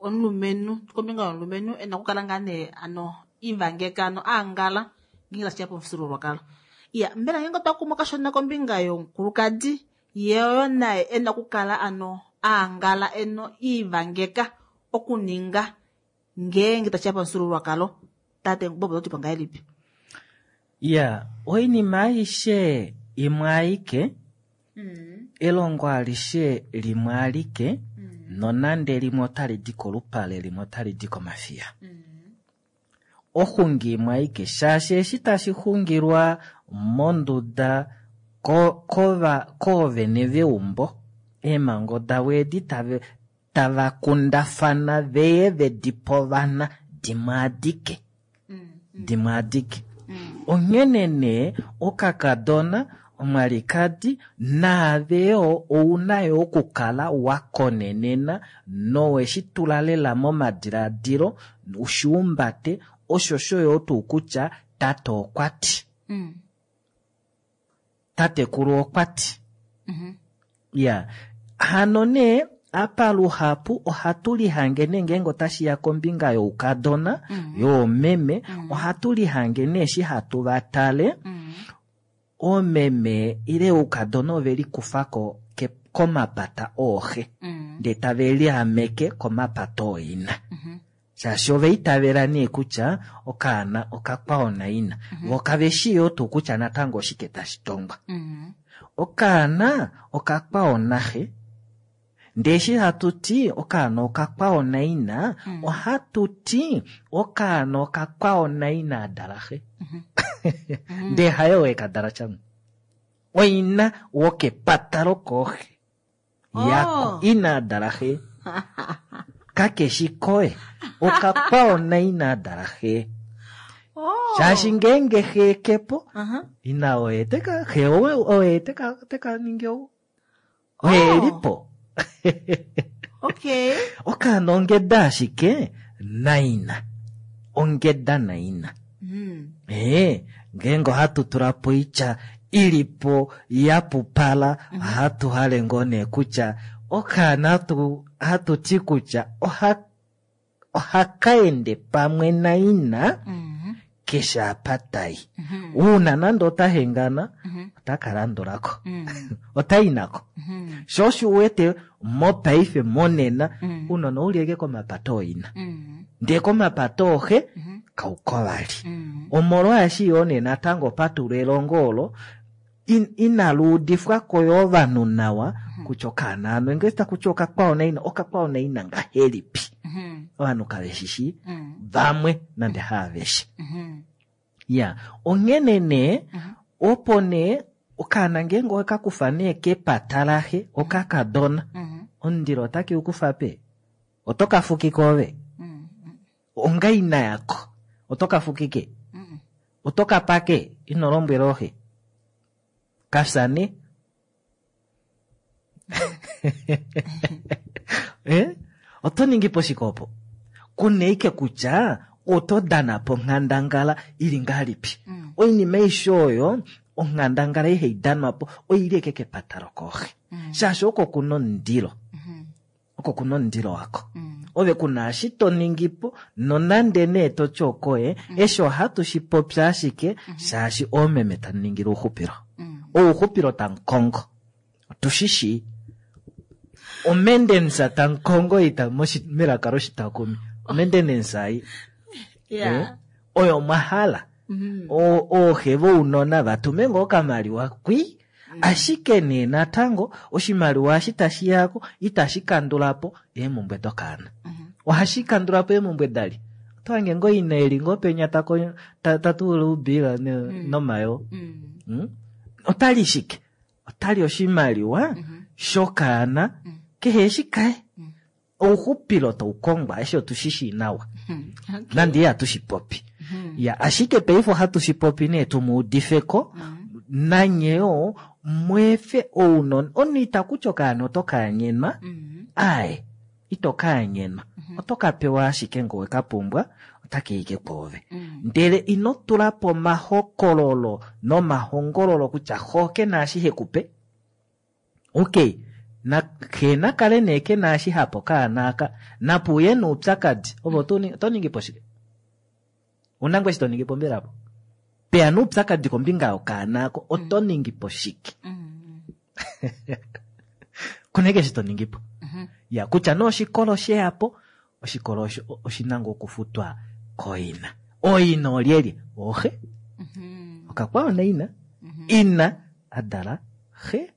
omulumenhu, kombinga yomulumenhu ena okukala ngaa nee ano ivangeka ano aangala ngeenge tashiya pomufyuululwakalo. Ya, mbela ngeenge otwa kumwa kashona kombinga yomukulukadi ye oyo naye ena okukala ano aangala eno ivangeka okuninga ngeenge tashiya pomufyuululwakalo. Tate Bobo oto ti po ngahelipi? Ya, oinima aishe imwe aike, elongo alishe limwe alike, nonande limwe otali di kolupale limwe otali di komafiya. Oxungi imwe aike, shaashi eshi tashi xungilwa monduda koovene veumbo, eemhango davo edi tava kundafana veye vedi povana dimwe adike. Dimwe adike. Onghene nee okakadona omwalikadi naave yoo ouna yo okukala wa konenena noweshi tula lela momadiladilo ushiumbate osho sho yoo tuu kutya tate okwa ti. Tatekulu okwa ti. Ya, hano nee apa luhapu ohatu lihange nee ngeenge otashi ya kombinga youkadona, yoomeme, ohatu lihange nee eshi hatu va tale, oomeme ile oukadona ove likufa ko komapata ooxe, ndee tave liameke komapata ooina. Shaashi ove itavela nee kutya okaana okakwao naina. Vo kave shii yoo tuu kutya natango oshike tashi tongwa. Okaana okakwao naxe. Ndee eshi hatu ti okaana okakwao naina, ohatu ti okaana okakwao naina adala xe. Ndee haye oo ekadala tyamo. Oina wokepata lokooxe. Yako ina adala xe. Kakeshi koye. Okakwao naina adala xe. Shaashi ngeenge xe ke po, ina oye teka, xe oye teka ningi ou. Oye li po. Okay. Okaana ongeda ashike naina. Ongeda naina. Ngeenge ohatu tula po oitya ili po ya pupala, ohatu hale ngoo nee kutya okaana hatu ti kutya ohaka ende pamwe naina keshe apa tai. Uuna nande ota hengana, otaka landulako. Otai nako. Sho osho uwete mopaife monena, unona ouli eke komapato oina. Ndee komapato oxe, kauko vali. Omolwaashi yoo nee natango patulwa elongo olo, inaluudifwa ko yoo ovanhu nawa kutya okaana ano ngee taku ti okakwao naina, okakwao naina ngahelipi? Ovanhu kave shishi vamwe nande haaveshe. Ya, onghene nee opo nee okaana ngeenge okakufa nee kepata laxe okakadona, omundilo otake u kufa pe? Oto ka fukika ove? Ongaina yako oto ka fukike? Oto ka pake? Ino lombwela oxe? Kafya ne? Oto ningi po shike opo? Kuneike kutya oto dana po onghandangala ili ngahelipi? Oinima aishe oyo onghandangala ihai danwa po oili eke kepata lokooxe. Shaashi oko kuna omundilo. Oko kuna omundilo wako. Ove kuna eshi to ningi po nonande nee to ti okoye, eshi ohatu shi popi ashike shaashi oomeme tamu ningile ouxupilo. Ouxupilo tamu kongo. Otu shi shii. Omendensa tamu kongo ita melaka loshitakumi. Omendenensa ei. Oyo mwa hala. Ooxe vounona vatume ngoo okamaliwa kwi. Ashike nee natango oshimaliwa eshi tashi yako itashi kandula po eemhumbwe dokaana. Ohashi kandula po eemhumbwe dali. Oto hange ngoo ina eli ngoo penya tatuula oubila nomayo. Otali shike? Otali oshimaliwa shokaana kehe eshi kaye. Ouxupilo tau kongwa eshi otu shi shii nawa. Nande ihatu shi popi. Ya, ashike paife ohatu shi popi nee tu mu udife ko, nanye yoo mweefe ounona. Omunhu ita kutya okaana oto ka anyenwa, ae, ito ka anyenwa. Oto ka pewa ashike ngee oweka pumbwa, otaka ike kwoove. Ndele ino tula po omahokololo nomahongololo kutya xo ke na eshi he ku pe. Okay, xe na kale nee ke na eshi hapo kaana aka, napuuye noupyakadi. Ove oto ningi po shike? Una ngoo eshi to ningi po mbela apo? Peya noupyakadi kombinga yokaana ako, oto ningi po shike? Kuna eke eshi to ningi po. Ya, kutya nee oshikolo sheyapo, oshikolo oshina ngoo okufutwa koina. Oina olyelye? Oxe. Okakwao naina. Ina adala xe.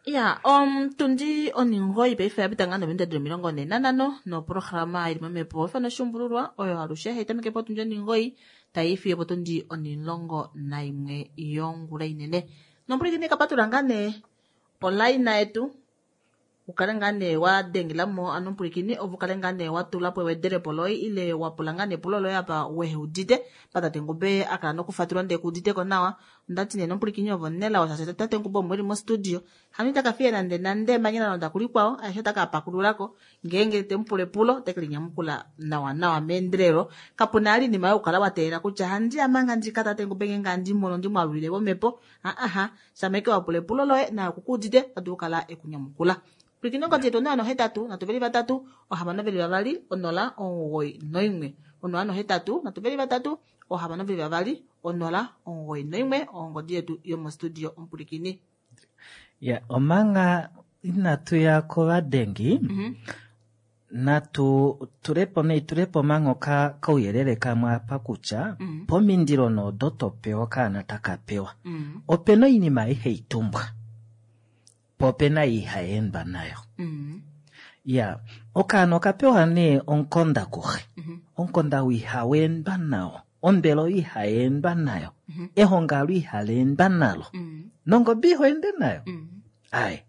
Ya, omutundi oningoyi paife yapita ngaa nominute dili 45 noprograma ili momhepo ifana oshuumbululwa oyo alushe hai tameke potundi oningoyi tai fiyo potundi 11 yongula inene. Nomupwilikini kapatula ngaa nee olaina yetu ukale ngaa nee wa dengela mo ano omupwilikini ove ukale ngaa nee wa tula po ewedelepo loye ile wa pula ngaa nee epulo loye apa wehe udite pa tate Ngube a kala nokufatulwa ndee kuudite ko nawa. Ondati nee nomupwilikini ove omunelao shaashi tate Ngube omo eli mostudio hano itaka fiye nande nande emanya la londa kulikwao aeshe otaka pakululako ngeenge te mu pula epulo oteke linyamukula nawa nawa meendelelo. Kapuna ali inima yokukala wa teelela kutya handi ya manga ndika tate Ngube ngeenge handi mono ndi mwalulile momhepo. Aha, shameke wa pula epulo loye naye okukuudite ota dulu okukala ekunyamukula. Pwilikina ongodi yetu 083 323 622 091. 083 323 622 091 ongodi yetu yomostudio omupwilikini. Ya, omanga inatu ya kovadengi, natu tulepo neitulepo manga kauyelele kamwe apa kutya pomindilo noodo to pewa okaana taka pewa. Opena oinima ihai tumbwa, po opena ihai endwa nayo. Ya, okaana okapewa nee omukonda kuxe. Omukonda ou ihau endwa nao, ombele ihai endwa nayo, ehongalo ihali endwa nalo, nongobe iho ende nayo. Aye.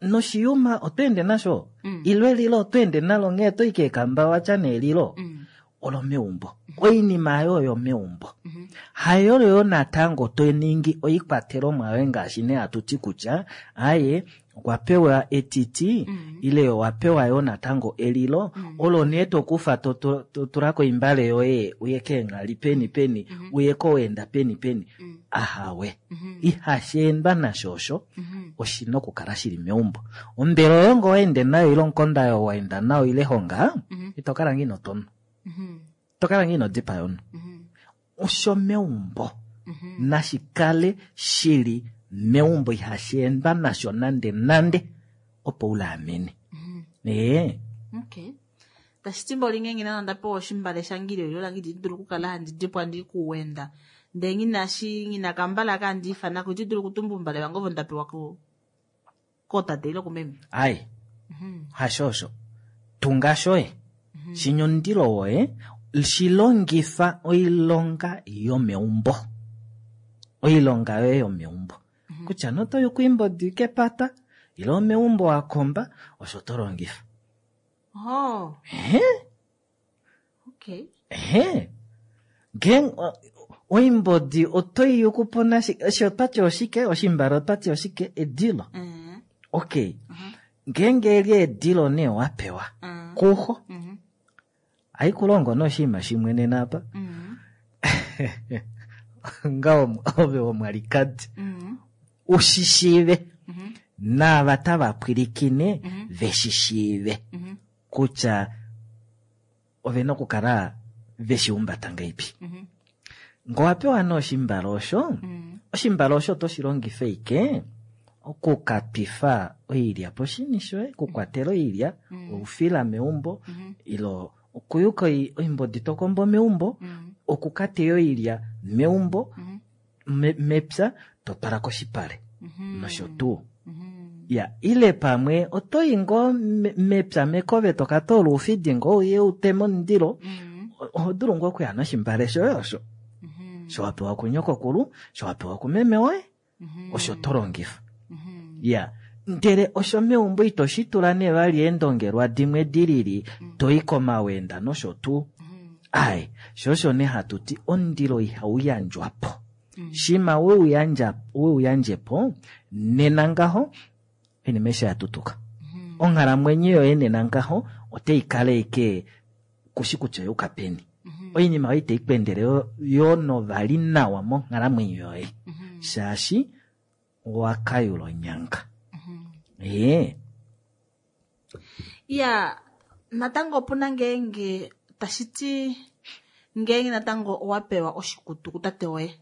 Noshiyuma oto ende nasho, ilo elilo oto ende nalo nghee to i keekamba watya neelilo, olomeumbo. Oinima ayo oyomeumbo. Hayo yo natango to ningi oikwatelomwa yoye ngaashi nee hatu ti kutya aye okwa pewa etiti ile owa pewa yo natango elilo, olo nee to kufa to tula koimbale yoye uye keenghali peni peni, uye koweenda peni peni. Ahawe. Ihashi endwa nasho osho, oshina okukala shili meumbo. Ombele oyo ngoo ende nayo ile omukonda oyo wa enda nayo ile honga, ito kala ngoo ino tonwa. Ito kala ngoo ino dipaya omunhu. Osho meumbo nashi kale shili meumbo, ihashi endwa nasho nande nande opo u laamene. Ee. Okay. Tashi ti mboli ngenge nana nda pewa oshimbale shange ile elilo lange itandi dulu okukala handi dipwa ndi kuwenda. Ndele ngina shi ngina kambala aka handi ifana ko itandi dulu okutumba oumbale vange ovo nda pewa kootate ile kumeme. Ai. Hasho osho. Tunga shoye. Shinya omundilo woye, shi longifa oilonga yomeumbo. Oilonga yoye yomeumbo. Kutya noto yuku oimbodi kepata, ile omeumbo wa komba, osho to longifa. Oh. Ehe. Okay. Ehe. Ngeenge oimbodi oto i yuku po nashi, eshi otwati oshike, oshimbale otwati oshike, edilo. Okay. Ngeenge eli edilo nee wa pewa kuxo, haikulongo nee oshinima shimwe nena apa. Onga ove womwalikadi, u shi shiive, naava tava pwilikine ve shi shiive kutya ove na okukala ve shi humbata ngahelipi. Ngee owa pewa nee oshimbale osho, oshimbale osho oto shi longifa ashike okukatwifa oilya poshini shoye, okukwatela oilya, oufila meumbo, ile okuyuka oimbodi to kombo meumbo, okukateya oilya meumbo, mepya, to twala koshipale, nosho tuu. Ya, ile pamwe oto i ngoo mepya mekove to ka toola oufidi ngoo uye u teme omundilo, oho dulu ngoo okuya noshimbale shoye osho. Sho wa pewa kunyokokulu, sho wa pewa kumeme woye, osho to longifa. Ya, ndele osho meumbo ito shi tula nee vali eendongelwa dimwe di lili, to i komawenda nosho tuu. Ai, sho osho nee hatu ti omundilo ihau yandjwa po. Shima we u yandje po, nena ngaho, oinima aishe ya tutuka. Onghalamwenyo yoye nena ngaho, otai kala ashike kushi kutya oyuka peni. Oinima oyo itai ku endele yo novali nawa monghalamwenyo yoye. Shaashi owa kayula onyanga. Ee. Ya, natango opuna ngeenge tashi ti ngeenge natango owa pewa oshikutu kutate woye.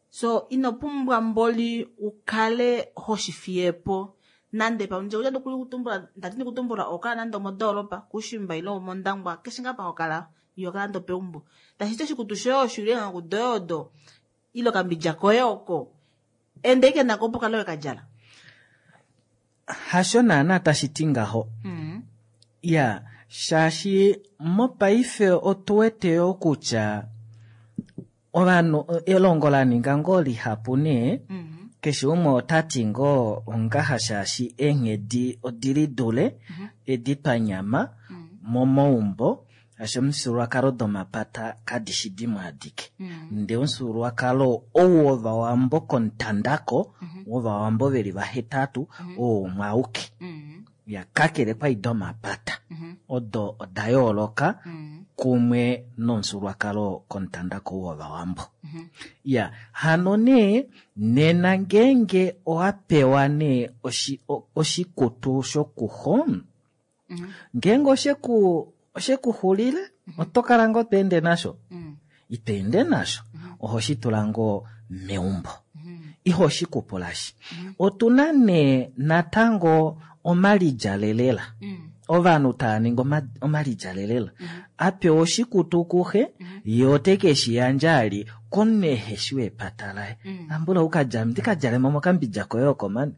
So ino pumbwa mboli u kale ho shi fiye po nande pamwe nje kutya ndikutumbula, ndati ndikutumbula oho kala nande omodoolopa, kuushimba ile omondangwa, keshe ngaa pa ho kala, iho kala nande opeumbo. Tashi ti oshikutu shoye osho ile eenghaku doye odo ile okambidja koye oko, enda ashike nako opo kale we ka djala. Hasho naana tashi ti ngaho. Ya, shaashi mopaife otu wete yo kutya ovanhu elongo la ninga ngoo lihapu nee, keshe umwe ota ti ngoo ongaha shaashi eenghedi odi lidule edi twa nyama momaumbo, shaashi omifyuululwakalo domapata kadi shi dimwe adike. Ndee omufyuululwakalo ou wovawambo komutandako, wovawambo veli vahetatu, oo umwe auke. Ya, kakele kwai domapata, odo oda yooloka kumwe nomufyuululwakalo komutandako ou wovawambo. Ya, hano nee, nena ngeenge owa pewa nee oshikutu shokuxo, ngeenge oshekuxulile, oto kala ngoo to ende nasho? Ito ende nasho, oho shi tula ngoo meumbo. Iho shi kupulashi. Otu na nee natango omalidjalelela. Ovanhu tava ningi omalidjalelela. A pewa oshikutu kuxe, ye ote ke shi yandja ali komunhu ehe shi wepata laye. Ambula ukadja, ndi ka djale mo mokambidja koye oko mani.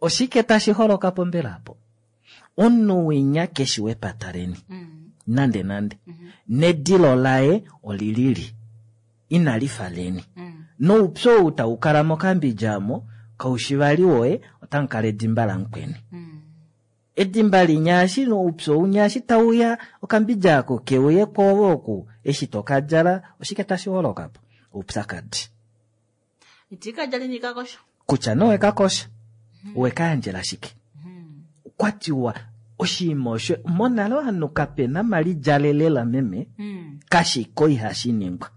Oshike tashi holoka po mbela apo? Omunhu winya keshi wepata leni. Nande nande. Nedilo laye olilili. Inali fa leni. Noupyu ou tau kala mokambidja omo, kaushi vali woye, otamu kala edimba lamukweni. Edimba linya eshi oupyu ounya eshi tauya, okambidja ako keuye kwoove oku, eshi to ka djala, oshike tashi holoka po? Oupyakadi. Iti ka djala ini kakosha. Kutya nee owe kakosha, owe ka yandjela shike? Okwa tiwa oshinima osho monale ovanhu kape na mali djalelela meme, kashiko ihashi ningwa.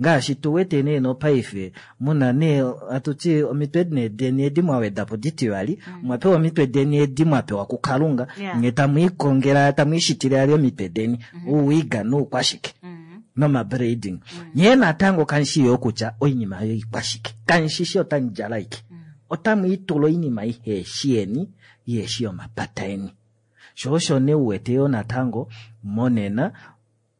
Ngaashi tu wete nee nopaife muna nee atuti omitwe nee deni edi mwa weda po ditivali, mwa pewa omitwe deni edi mwa pewa kuKalunga, nye tamu ikongela tamu ishitile ali omitwe deni, ouwiga noukwashike nomabraiding. Nye natango kamushi yo kutya oinima oyo ikwashike, kamushi shi otamu djala ike, otamu itula oinima iheshi yeni, iheshi yomapata eni. Sho osho nee uwete yo natango monena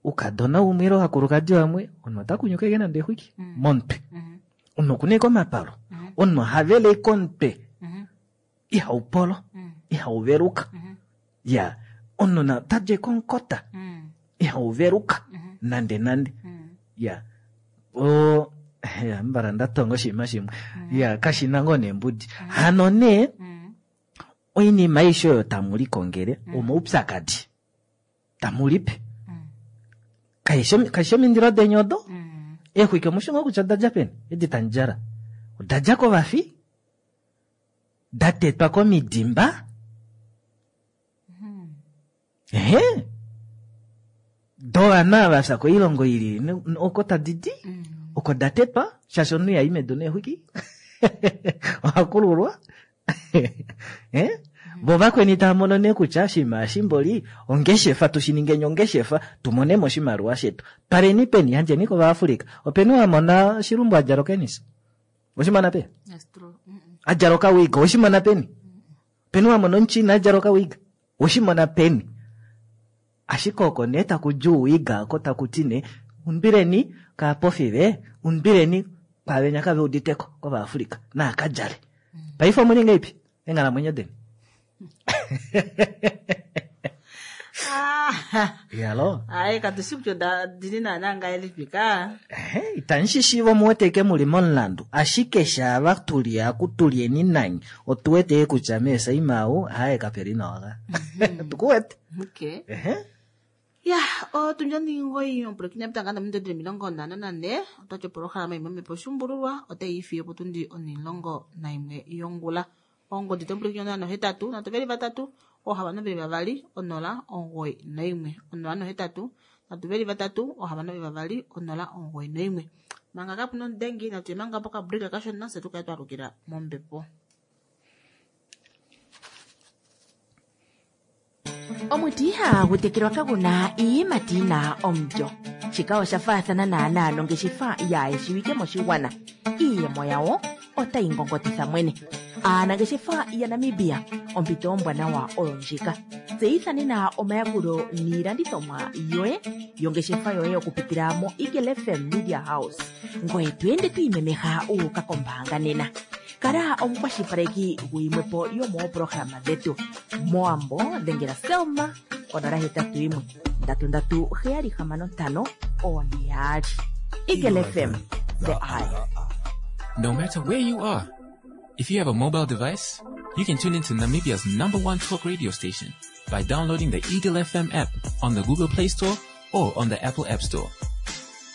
ukadona umwe ile ovakulukadi vamwe omunhu ota kunyuka eke nande exwiki momutwe, omunhu okuna eke omapalo, omunhu ohavele eke omutwe ihaupolo, ihauveluka, ya omunhu otadja eke omukota ihauveluka nande nande, ya o ya mbala ndatonga oshinima shimwe, ya kashina ngoo neembudi hano nee oinima aishe oyo tamu likongele omaupyakadi tamu lipe kaishi omindilo deni odo, eexwiki omushi ngoo kutya oda dja peni edi tamu djala, oda dja kovafi, da tetwa komidimba, ehe dovanhu ava fya koilongo ili oko tadi di, oko da tetwa, shaashi omunhu ihai medu neexwiki ohakululwa. Vo vakweni tava mono nee kutya oshinima eshi mboli ongeshefa, tu shi ningeni ongeshefa tu mone mo oshimaliwa shetu, twaleni peni, yandjeni kOvaafrika. Openi wa mona oshilumbu a djala okenisa? Oshimona peni? A djala okawiga, oshimona peni? Openi wa mona omuchina a djala okawiga? Oshimona peni? Ashike oko nee taku dju ouwiga oko taku ti nee undwileni kaapofi ve, undwileni kwaavenya kave uditeko kOvaafrika naa ka djale. Paife omuli ngeipi eenghalamwenyo deni? Yalo. Ai katushi kutya oda dili naana ngahelipi ka. Itamu shi shiiva omu wete eke muli momulandu, ashike shaava tuli aku tulyeni nanye otu wete kutya meesaima au haye kapeli nawa ka. Tuku wete. Okay. Ya, otundi omugoyi omupulakeni apita ngaa nominute 54, otwati opolohalama imwe yomhepo oshuumbululwa otai ifiye potundi 11 yongula. Ongodi domupulakeni 0 8 323 622 0 91 0 8 323 622 0 91. Manga kapuna omudengi natu ye manga pokabrika kashona fye tukale twalukila mombepo. Omuti ihagu tekelwa kagu na iiyimati yi na omulyo. Shika osha faathana naanaa nongeshefa yaayeshiwike moshigwana. Iiyemo yawo otayi ngongotitha mwene. Aanangeshefa yaNamibia, ompito ombwanawa oyo ndjika. Tseyitha nena omayakulo niilandithomwa yoye yongeshefa yoye okupitila moEagle FM Media House. Ngoye to ende to imemeha u uka kombaanga nena. Kala omukwashilipaleki guyimwe po yomoopolohalama dhetu. Mowambo dhengela Selma 081 337 652. Eagle FM, the eye. No matter where you are, if you have a mobile device, you can tune into Namibia's number one talk radio station by downloading the Eagle FM app on the Google Play Store or on the Apple App Store.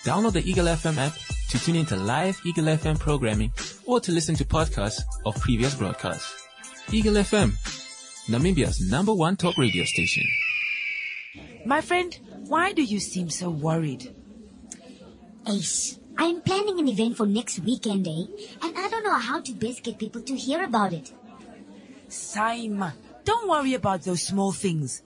Download the Eagle FM app to tune into live Eagle FM programming or to listen to podcasts of previous broadcasts. Eagle FM, Namibia's number one talk radio station. My friend, why do you seem so worried? Ace, I'm planning an event for next weekend, eh? And I don't know how to best get people to hear about it. Saima, don't worry about those small things.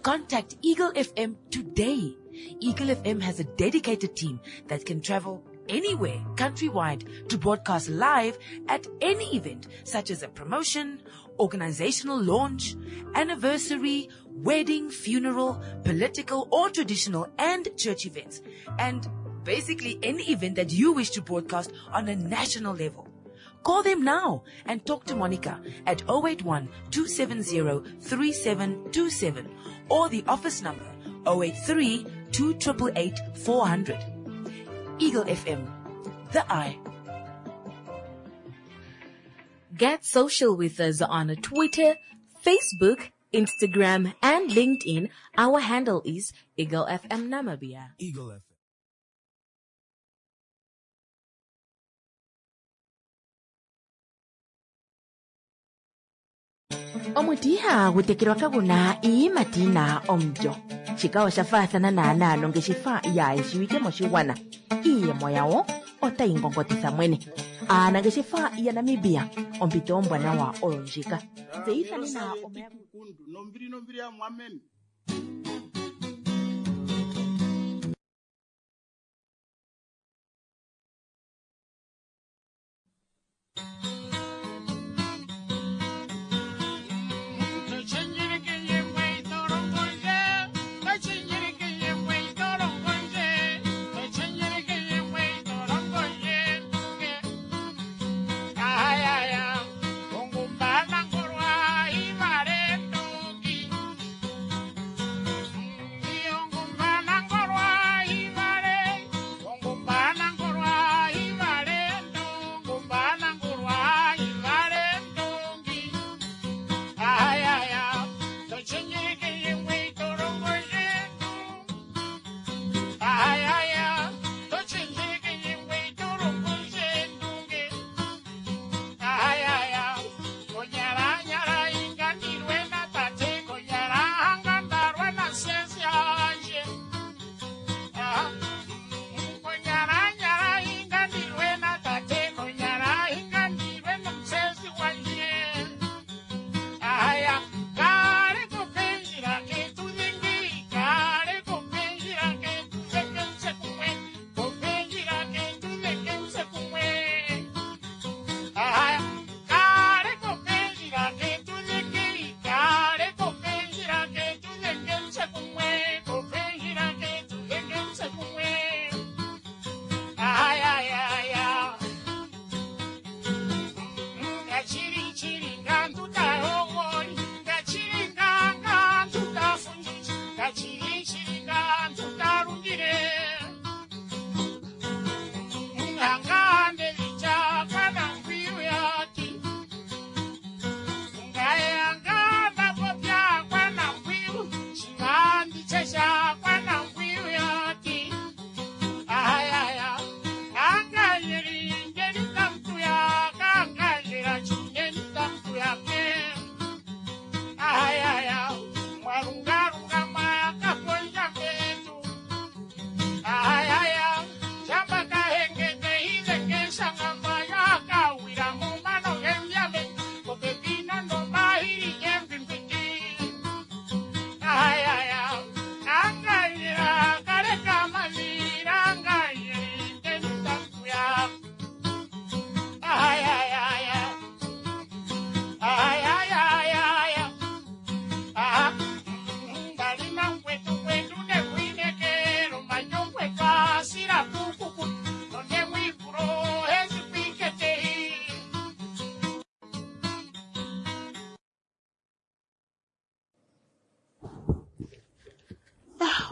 Contact Eagle FM today. Eagle FM has a dedicated team that can travel anywhere countrywide to broadcast live at any event, such as a promotion, organizational launch, anniversary, wedding, funeral, political or traditional and church events, and basically any event that you wish to broadcast on a national level. Call them now and talk to Monica at 081 270 3727 or the office number 083 288 400. Eagle FM, the eye. Get social with us on Twitter, Facebook, Instagram, and LinkedIn. Our handle is Eagle FM Namibia. Eagle FM. Omuti ihagu tekelwa kaguna iiyimati yina omulyo. Shika osha faathana naanaa nongeshefa yaayeshiwike moshigwana. Iiyemo yawo otayi ngongotitha mwene. Aanangeshefa yaNamibia, ompito ombwanawa oyo ndjika. Tseyitha nena omayakulo. Kundu nombili nombili ya mwameme.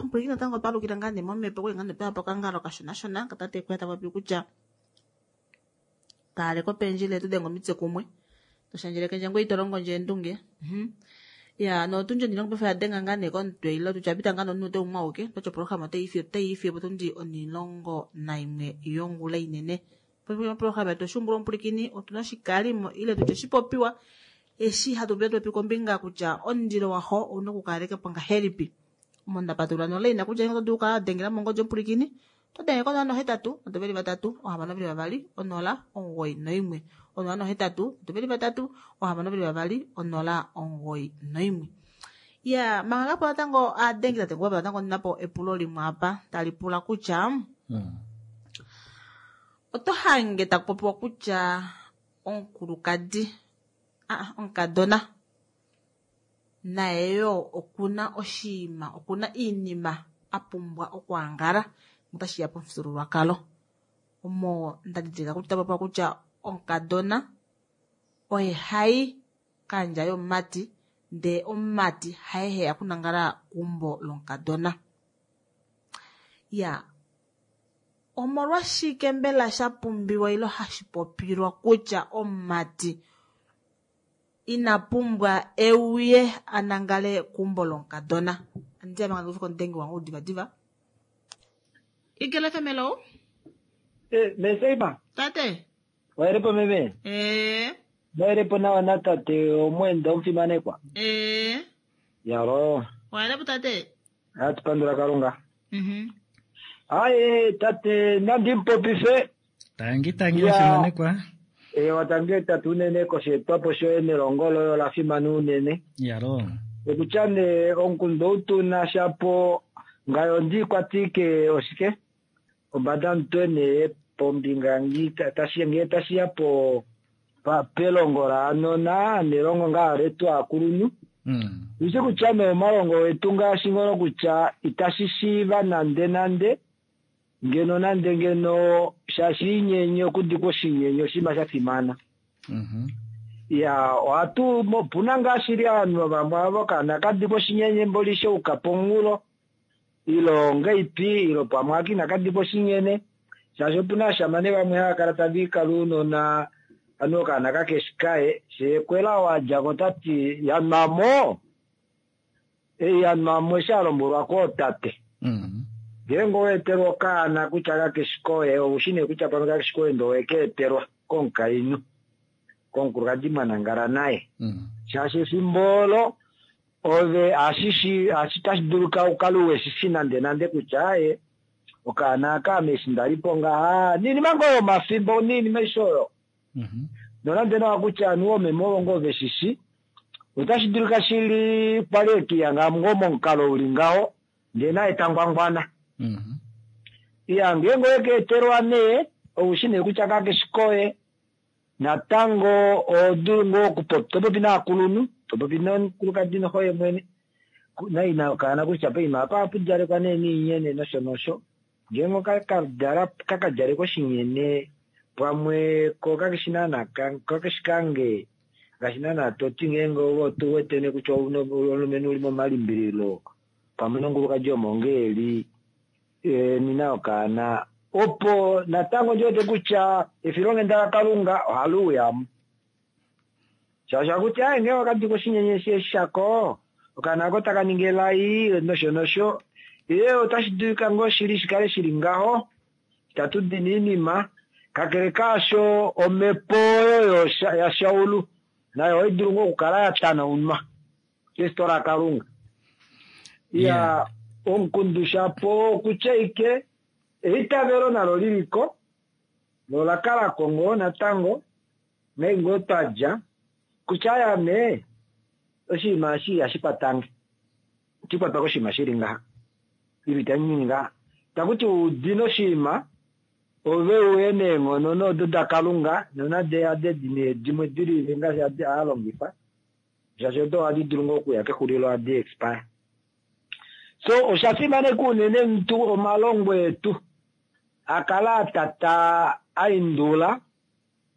Ompwilikini natango otwa alukila ngaa nee momhepo kuli ngaa nee pewa pokangalo kashonashona katate kuya tapopi kutya kaaleko pendjile tu denge omitse kumwe toshandjeleke ngoye ito longo ndje endunge. Ya notundji onilongo paife oyadenga ngaa nee komutwe ile tutya pita ngaa nomunute umwe auke toti oprograma otayi fiyepo tundi 11 yongula inene. Oprograma yetu oshuumbulwa omupulikini otuna oshikalimo ile tutye oshipopiwa eshi hatu popi kombinga kutya omundilo waho ouna okukalekapo ngahelipi. Omo ndapatulula nolaina kutya oto dulu okukala wadengela mongodi omupulikini oto denge ko 081 3 622 091 081 3 622 091. Ya manga kapo natango adengi tate kuba natango ndinapo epulo limwe apa tali pula kutya oto hange takupopiwa kutya omukulukadi omukadona naye yo okuna oshiima okuna iinima apumbwa okwaangala otashi ya pomufyuululwakalo. Omo ndadidilika kutya tapopiwa kutya omukadona oye hayi kandja yomumati ndee omumati haye heya okunangala keumbo lomukadona. Ya omolwashike mbela sha pumbiwa ile hashi popilwa kutya omumati Ina pumbwa euye a nangale keumbo lomukadona. Andi ame ngandi komudengi wange ou divadiva. Eagle FM, hello. Meseima. Tate. Waelepo meme? Waelepo nawa na tate omwenda omufimanekwa. Yalo. Waelepo tate? Hatu pandula Kalunga. Aye tate nandi mupopife. Tangi tangi omufimanekwa. Ewa tangi tate unene kosheetwapo shoye nelongo loye ola fimana unene. Yalo. Okutya nee omukundu ou tuna shapo ngayo ndikwatike oshike? Ombada mutwe nee pombinga ngee tashiya po pelongo laanona nelongo ngaa letu aakulunhu. Ushi kutya nee omalongo etu ngaashi ngono kutya itashi shiiva nande nande ngeno nande ngeno shaashi inyenye okudikwa oshinyenye oshinima sha fimana. Ya ohatu opuna ngaa shili ovanhu vamwe avo kana kadikwa oshinyenye mboli shouka pomunghulo ilo ngeipi ilo pamwe aka inakadikwa oshinyene shaashi opuna ashamane vamwe hava kala tava ikala ounona anu okaana kakeshi kaye sheekwela wadjako tati yanwamo yanwamo eshi alombwelwa kootate. Ngeenge oweetelwa okaana kutya kakeshi koye oushi nee kutya pamwe kakeshi koye ndee owekeetelwa komukainhu komukulukadi mwanangala naye. Shaashi efimbo olo ove ashishi tashi dulika ukale uweshishi nande nande kutya aye okaana aka ame eshi ndalipo ngaha ninima ngoo yomafimbo ninima aishe oyo. Nonande nawa kutya anu oomeme ovo ngoo veshishi otashi dulika shili kwali ekiya ngoo momukalo uli ngaho ndee naye tangwangwana. Iya ngeenge owekeetelwa nee oushi nee kutya kakeshi koye natango odulu ngoo okupopi topopi naakulunhu topopi nomukulukadi noxoye mwene naina okaana kutya poima apa ohapudjalekwa nee niinyene nosho nosho ngeenge kakadjalekwa oshinyene pamwe ko kakeshi naana kakeshi kange ngaashi naana toti ngeenge ove otuwete nee kutya omulumenhu uli momalimbililo pamwe nomukulukadi omo ngeeli nina okaana opo natango ndiwete kutya efilonghenda laKalunga ohali uyamo. Shaashi akuti aye ngee wakadikwa oshinyenye shako okaana ako taka ningi elai nosho nosho ye otashi dulika ngoo shili shikale shili ngaho itatu dini oinima kakele kaasho omhepo oyo yaShaulu nayo ohai dulu ngoo okukala ya tanaunwa keshito laKalunga. Ya omukundu shapo okutya ike eitavelo nalo liliko nola kalako ngoo natango nai ngoo twadja kutya ayame oshinima eshi ihashi kwatange itikwatwa koshinima shili ngaha ile itanyini ngaha takuti udina oshinima ove uye neenghono nodo daKalunga nonade ade dimwe dilile ngaashi alongifa shaashi odo ohadi dulu ngoo okuya kexulilo ohadi expire. So osha fimaneka unene mutu omalongo etu akala atata aindula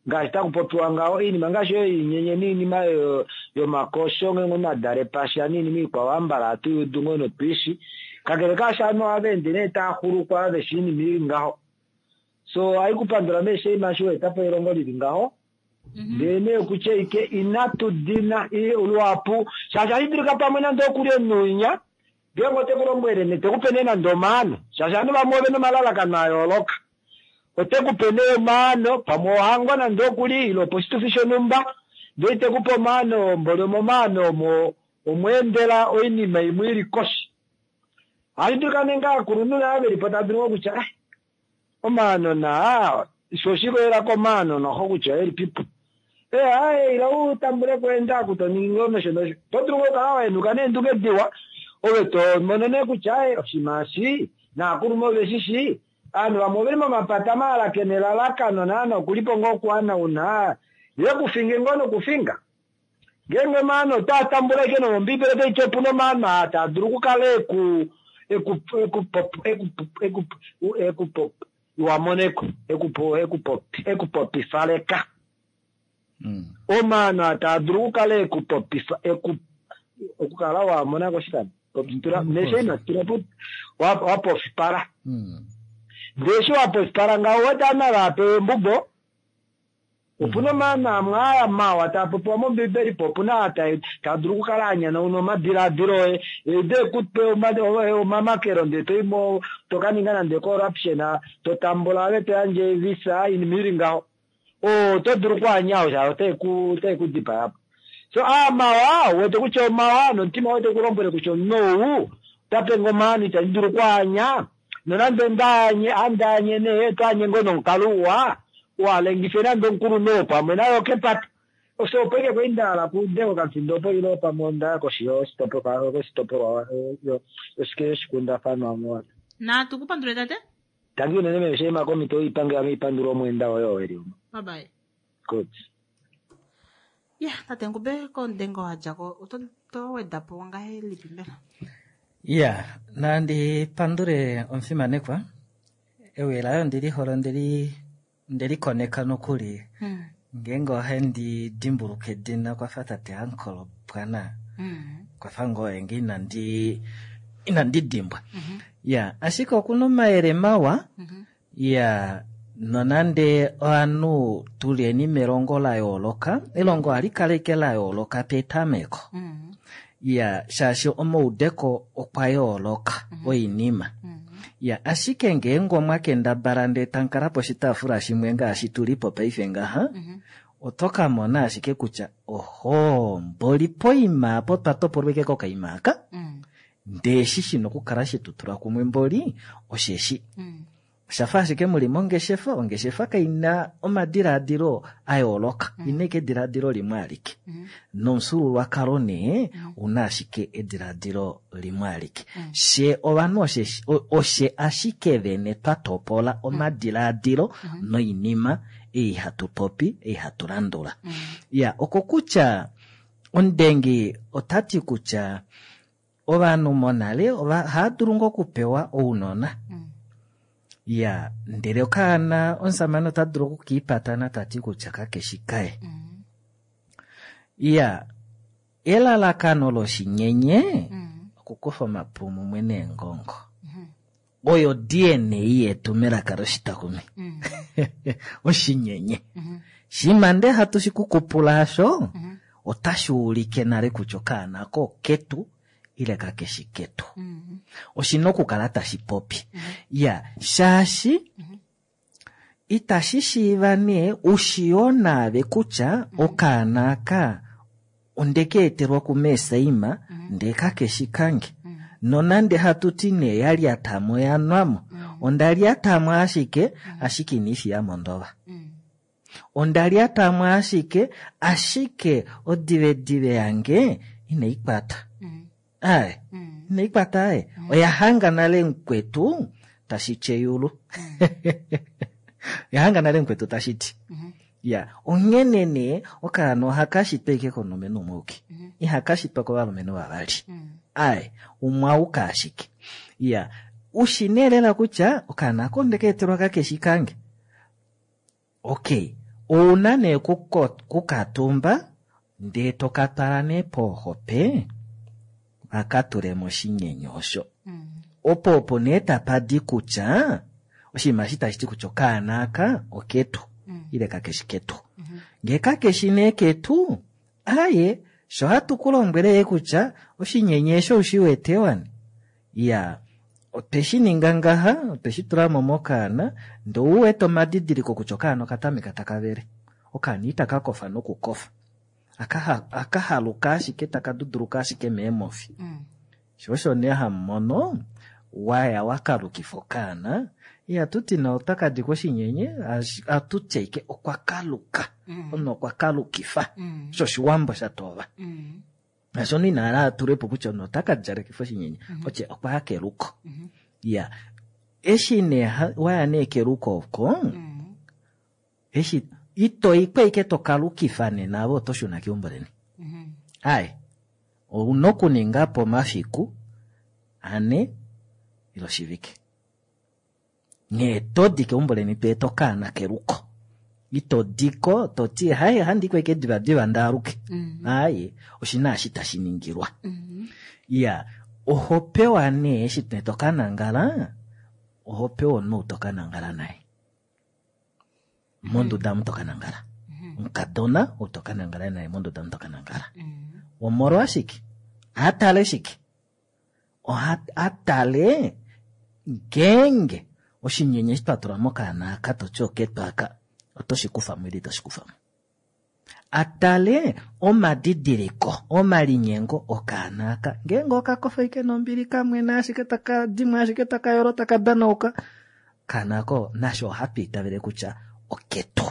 ngaashi takupopiwa ngaho oinima ngaashi oyo inyenye niinima yomakosho ngeenge omunhu adale pasha niinima ikwao ambala ohatu yudu ngoo notwiishi kakele kaasho ovanhu ohava ende nee taaxulukwa veshi oinima ili ngaho. So ohaikupandula meesheima eshi waetapo elongo lili ngaho ndee nee okutya ike inatu dina luhapu shaashi ohashi dulika pamwe nande okuli omunhu ngeenge otekulombwele nee tekupe nee nande omaano shaashi ovanhu vamwe ovena omalalakano ayooloka otekupe nee omaano pamwe ohango nande okuli ile oposhitufi shonhumba ndee tekupe omaano mboli omomaano omo omweendela oinima imwe ili koshi. Ohashi dulika nee aakulunhu nayo velipo tava dulu ngoo kutya omaano naa sho oshikolela komaano noxo kutya elipipo aye ila utambuleko eendaku toningi ngoo nosho nosho oto dulu ngoo okukala wahenuka neendunge diwa ove tomono nee kutya aye oshinima eshi naakulunhu oveshishi ovanhu vamwe oveli momapata maalake nelalakano naana okulipo ngoo okuhanauna ye kufinge ngoo nokufinga ngeenge omaano otaa tambula ashike nomombiibeli otaiti opuna omaano aa taa dulu okukala ekupopifaleka. Omaano aa taa dulu okukala ekupopifa okukala wamonako oshikando nesheima tulapo wapofipala. Ndee eshi wapofipala ngaho owete ovanhu ava hapewa embubo. Opuna omaano amwe aya mawa taa popiwa mOmbiibeli, po opuna aa taa dulu okukala a nyanauna omadilaadilo oye, ede ku pe omamakelo ndee to i mo, to ka ninga nande corruption, to tambula ove to yandje visa, oinima ili ngaho. Oo oto dulu okwaanya shaashi otae ku dipaya po. So aa mawa, u wete kutya omawa, nomutima woye tau ku lombwele kutya omunhu ou ota pe nge omaano itandi dulu okwaanya, nonande ondaanye, handaanye nee, oto anye ngoo nomukalo uwa, uhalengife nande omukulunhu oo pamwe naye okepata. Osho opo ike kwali nda hala kuude kokamufindo opo ile pamwe onda ya koshi yoshitopolwa yoshikundafanwa mo. Natu ku pandule tate. Tangi unene meme Sheima komhito oipange ame ipandula omweenda woye oo eli omo. Bye bye. Good. Ya, tate Ngube komudengo wa dja ko oto to weda po ngahelipi mbela? Ya, nandi pandule omufimanekwa. Ewi laye ondi li hole ondeli Onde likoneka nokuli ngeenge ohandi dimbuluka edina okwa fa tate Ankolo Bwana. Okwa fa ngoo oye ngee inandi inandi dimbwa. Ya, ashike oku na omayele mawa. Ya, nonande ovanhu tu leni melongo la yooloka, elongo ohali kala ashike la yooloka petameko. Ya, shaashi omaudeko okwa yooloka oinima. Ya, ashike ngeenge omwa kendabala ndee tamu kala poshitaafula shimwe ngaashi tu li po paife ngaha, oto ka mona ashike kutya ohoo, mboli poima apa otwa topolwa ashike kokaima aka, ndee eshi shi na okukala she tu tula kumwe mboli osheshi. Osha fa ashike mu li mongeshefa, ongeshefa kai na omadilaadilo a yooloka, mm. ina ike edilaadilo limwe alike. Mm. Nomufyuululwakalo nee mm. una ashike edilaadilo limwe alike. Mm. She ovanhu oshe, oshe ashike vene twa topola omadilaadilo mm. noinima ei hatu popi, ei hatu landula. Mm. Ya, okokutya omudengi ota ti kutya Ovanhu monale ohava dulu ngoo okupewa ounona. Ya, ndele okaana omusamane ota dulu okukiipatana ta ti kutya kakeshi kaye. Ya, elalakano loshinyenye okukufa omapu mumwe neengongo. Oyo DNA yetu melaka loshitakumi. Oshinyenye. Shima nde hatu shi kukupula asho, otashi ulike nale kutya okaana ako oketu ile kakeshi ketu. Oshi na okukala tashi popi. Ya, shaashi Itashi shiiva nee u shii naave kutya okaana aka onde ka etelwa kuMeesaima ndee kakeshi kange. Nonande hatu ti nee ya lyata mo ya nwa mo, onda lyata mo ashike, ashike ina i fiya mo ondova. Onda lyata mo ashike, ashike odivedive yange inai kwata. Ae, inai kwata ae. Oya hanga nale mukwetu tashi ti eyulu. Oya hanga nale mukwetu tashi ti. Ya, onghene nee okaana ohaka shitwa ashike komulumenhu umwe auke. Ihaka shitwa kovalumenhu vavali. Ae, umwe auke ashike. Ya, ushi nee lela kutya okaana ako onde ka etelwa kakeshi kange. Ok, ouna nee kukatumba ndee to ka twala nee poohope va ka tule moshinyenye osho. Opo opo nee tapa di kutya oshinima eshi tashi ti kutya okaana aka oketu ile kakeshi ketu. Ngee kakeshi nee ketu, aaye sho hatu ku lombwele ye kutya oshinyenye eshi oushi wete wani? Iya, otwe shi ninga ngaha, otwe shi tula mo mokaana, ndee ou wete omadidiliko kutya okaana oka tameka taka vele. Okaana itaka kofa nokukofa. Aka, aka haluka ashike, taka duduluka ashike meemofi. Sho osho nee hamu mono wa ya wa kalukifa okaana, ihatu ti nee ota ka dikwa oshinyenye, ohatu ti ashike okwa kaluka. Omunhu okwa kalukifa. Osho Oshiwambo sha tova. Ngaashi omunhu ina hala a tule po kutya omunhu ota ka djalekifa oshinyenye, otye okwa ya keluko. Ya, eshi nee wa ya nee keluko oko, eshi ito i ko ashike to kalukifa nena ove oto shuna keumbo leni. Aye, ouna okuninga po omafiku ane ile oshivike. Nghee to di keumbo leni to eta okaana keluko. Ito di ko to ti haye ohandi ko ashike divadiva ndaaluke. Aaye, oshi na eshi tashi ningilwa. Iya, oho pewa nee eshi to ka nangala, oho pewa omunhu ou to ka nangala naye. Monduda omu to ka nangala. Omukadona ou to ka nangala naye monduda omu to ka nangala. Omolwashike? A tale shike? Oha a tale ngeenge oshinyenye eshi twa tula mokaana aka toti oketu aka oto shi kufa mo ile ito shi kufa mo. A tale omadidiliko, omalinyengo okaana aka. Ngeenge oka kofa ashike nombili kamwena ashike taka dimwa ashike taka yolo taka danauka, okaana ako nasho ohatu itavele kutya oketu.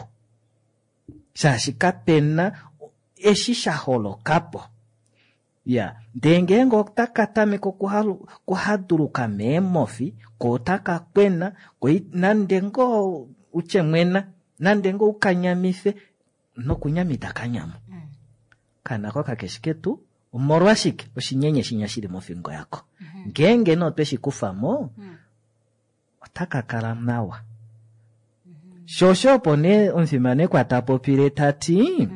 Shaashi kapena eshi sha holoka po. Ya, ndee ngeenge otaka tameke okuhaduluka meemofi, ko otaka kwena, ko nande ngoo utye mwena, nande ngoo ukanyamife, nokunyama itaka nyama. Okaana ko kakeshi ketu, omolwashike oshinyenye shinya shili mofingo yako. Ngeenge nee otwe shi kufa mo, otaka kala nawa. Sho osho opo nee omufimanekwa ta popile ta ti,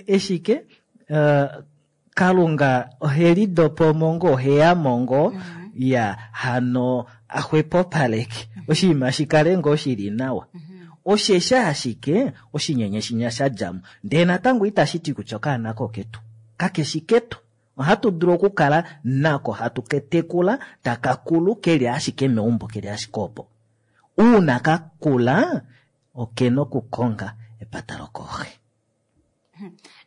eshike Kalunga ohe lidopo mo ngoo, ohe ya mo ngoo, ya hano a xwepopaleke oshinima shi kale ngoo shi li nawa. Osheshi ashike oshinyenye shinya sha dja mo, ndele natango itashi ti kutya okaana ko ketu kakeshi ketu. Ohatu dulu okukala nako hatu ke tekula taka kulu keli ashike meumbo, keli ashike opo. Uuna ka kula okena okukonga epata lokooxe.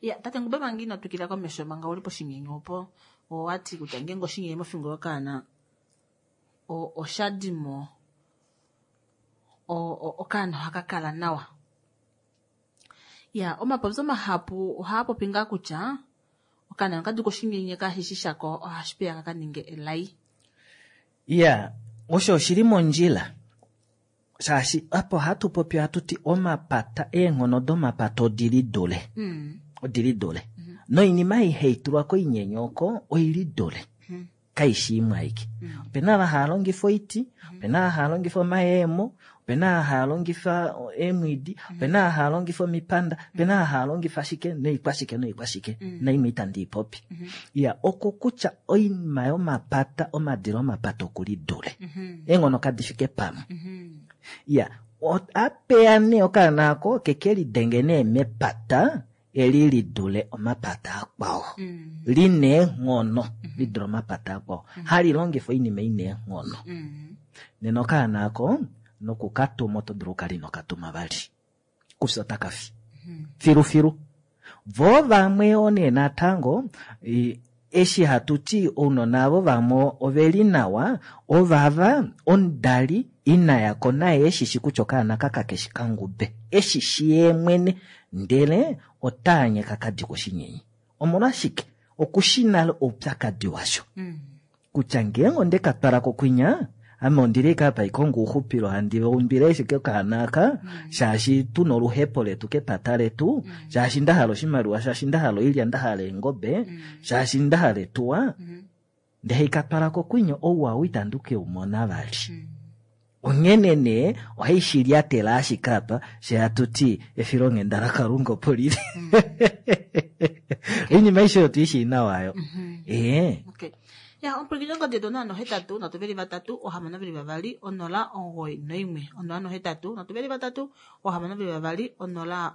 Ya, tate Ngube manga ino twikila komesho manga uli poshinyenye opo owati kutya ngeenge oshinyenye mofingo yokaana osha dimo okaana ohaka kala nawa. Ya, omapopyo mahapu ohaa popi ngaa kutya okaana oka dika oshinyenye kashishi shako ohashi peya ka ninge elai. Ya, osho oshili mondjila. Shaashi apa ohatu popi ohatu ti omapata, eenghono domapata odili dule. Odili dule. Noinima ei hai tulwa koinyenye oko oili dule. Kaishi imwe aike. Opena ava hava longifa oiti, opena ava hava longifa omayeemo, opena ava hava longifa eemwiidi, opena ava hava longifa omipanda, opena ava hava longifa shike noikwashike noikwashike. Naimwe itandi i popi. Ya, oko kutya oinima yomapata, omadilo omapata okuli dule. Eenghono kadi fike pamwe. Ya, apeya nee okaana ako keke lidenge nee mepata eli li dule omapata akwao. Li na eenghono li dule omapata akwao. Hali longifa oinima i na eenghono. Nena okaana ako nokukatuma oto dulu okukala ino katuma vali. Kufye otaka fi. Filufilu. Vo vamwe yoo nee natango eshi hatu ti ounona avo vamwe oveli nawa, ovava omudali ina ya ko naye eshishi kutya okaana ka kakeshi kangube, eshishi yee mwene, ndele otaanye ka kadikwa oshinyenye. Omolwashike? Okushi nale oupyakadi washo. Kutya ngeenge onde ka twala kokwinya, ame ondili ashike apa haikongo ouxupilo, handi umbile ashike okaana aka, shaashi tuna oluhepo letu kepata letu, shaashi nda hala oshimaliwa, shaashi nda hala oilya, nda hala eengobe, shaashi nda hala etuwa, ndele haika twala kokwinya, ouwa ou itandi ke u mona vali. Onghene nee ohai shi lyatela ashike apa, she hatu ti efilonghenda laKalunga opo lili. Oinima aishe oyo tu i shii nawa yo. Ee. Okay. Ya, omupwilikini ongodi yetu 083 323 622 091 083 323 622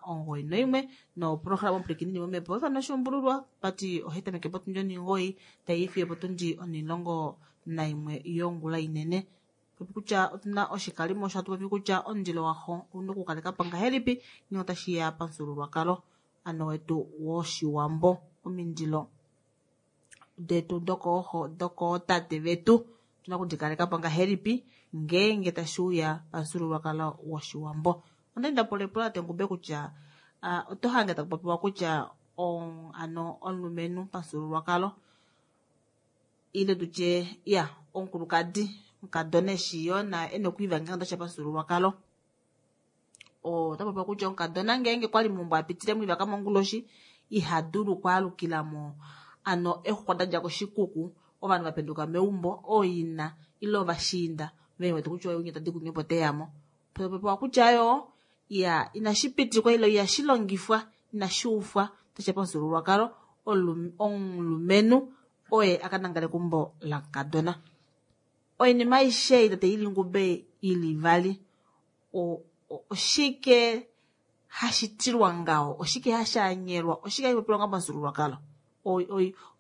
091 noprograma omupwilikini ni momhepo ifana oshuumbululwa pati ohai tameke potundi onhingoyi tai fiyo potundi onhilongo naimwe yongula inene. Popi kutya otuna oshikalimo osho hatu popi kutya omundilo waxo ouna okukaleka po ngahelipi ngee otashi ya pamufyuululwakalo ano wetu woshiwambo. Omindilo detu dokooxo dokootate vetu otuna okudikaleka po ngahelipi ngeenge tashi uya pamufyuululwakalo woshiwambo. Onda nda pula epulo tate Ngube kutya oto hange taku popiwa kutya ano omulumenhu pamufyuululwakalo ile tutye ya omukulukadi omukadona eshi yoo na ena okwiiva ngeenge otashiya pamufyuululwakalo. Ota popiwa kutya omukadona ngeenge kwali meumbo a pitile moivaka monguloshi iha dulu okwaalukila mo ano exuxwa da dja koshikuku ovanhu va penduka meumbo ooina ile ovashiinda ve wete kutya oye tadi kunye opo teya mo. Popiwa kutya yoo ya inashi pitikwa ile ihashi longifwa inashi ufwa tashiya pamufyuululwakalo omulumenhu oye a ka nangale keumbo lamukadona. Oinima aishe ei tate ili Ngube ili vali oshike hashi tilwa ngaho? Oshike hashi anyelwa? Oshike hashi popiwa ngaho pamufyuululwakalo?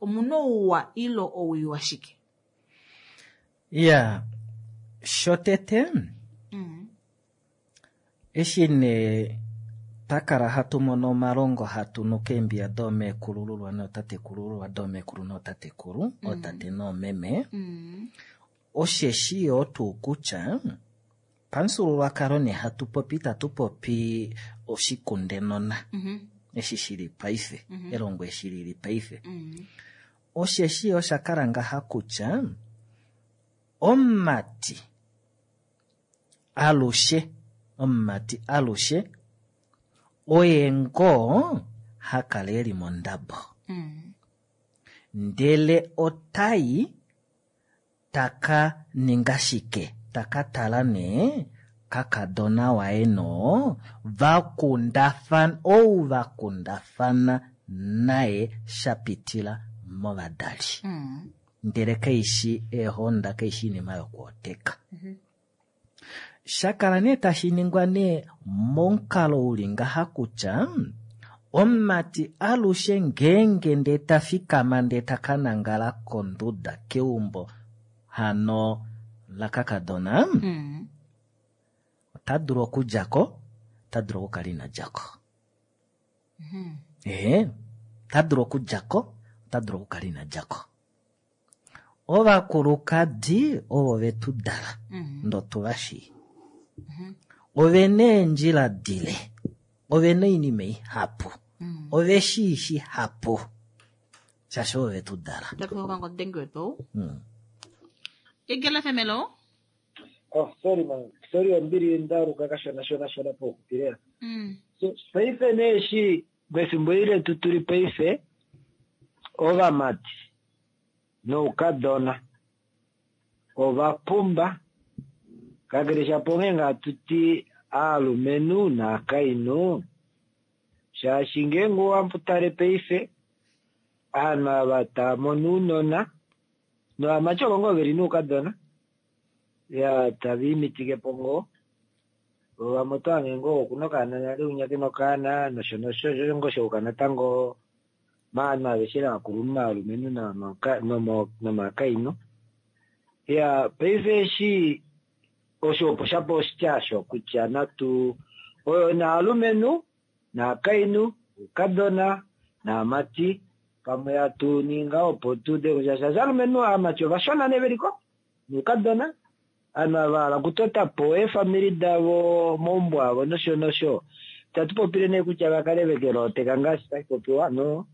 Omuna ouwa ile owii washike? Ya, shotete eshi nee twa kala hatu mono omalongo hatu nu keembiya doomeekulululwa nootatekulululwa, doomeekulu nootatekulu, ootate noomeme, osheshi yoo tuu kutya pamufyuululwakalo nee hatu popi itatu popi oshikundenona eshi shili paife, elongo eshi lili paife. Osheshi yoo osha kala ngaha kutya omumati alushe, omumati alushe oye ngoo ha kala eli mondabo. Ndele otai taka ninga shike? Taka tala nee kakadona waye no vakundafana, ou vakundafana naye sha pitila movadali. Ndele kaishi eehonda, kaishi inima yokwooteka. Shakala nee tashi ningwa nee momukalo uli ngaha kutya omumati alushe ngeenge ndee ta fikama ndee ta ka nangala konduda keumbo hano lakakadona, ota dulu okudja ko, ota dulu okukala ina dja ko. Ota dulu okudja ko, ota dulu okukala ina dja ko. Ovakulukadi ovo vetu dala, ndo tu va shii. Ove na eendjila dile, ove na oinima ihapu, ove shii shihapu, shaashi ovo vetu dala. Eagle FM, hello? Oh, sorry man. Sorry, ombili ndaluka kashona shona shona pokupilela. So, paife nee eshi mefimbo eli letu tuli paife, ovamati noukadona ova pumba, kakele shapo onghee ngaa tuti aalumenhu naakainhu, shaashi ngeenge owa tale paife aanhu ava tava mono ounona novamati ovo ngoo veli noukadona ya tava imitike po ngoo, vamwe oto hange ngoo okuna okaana nale unya kena okaana nosho nosho, osho ngoo shauka natango maanhu aveshe vakulunhu maalumenhu nomakainhu. Ya paife eshi osho opo shapo oshitya osho kutya natu oyo naalumenhu naakainhu oukadona naamati pamwe hatu ninga opo tu ude kutya shaashi aalumenhu aamati ovashona nee veliko noukadona aanhu ava hala okutota po eefamili davo momaumbo avo nosho nosho. Itatu popile nee kutya vakale vekelooteka ngaashi tashi popiwa, no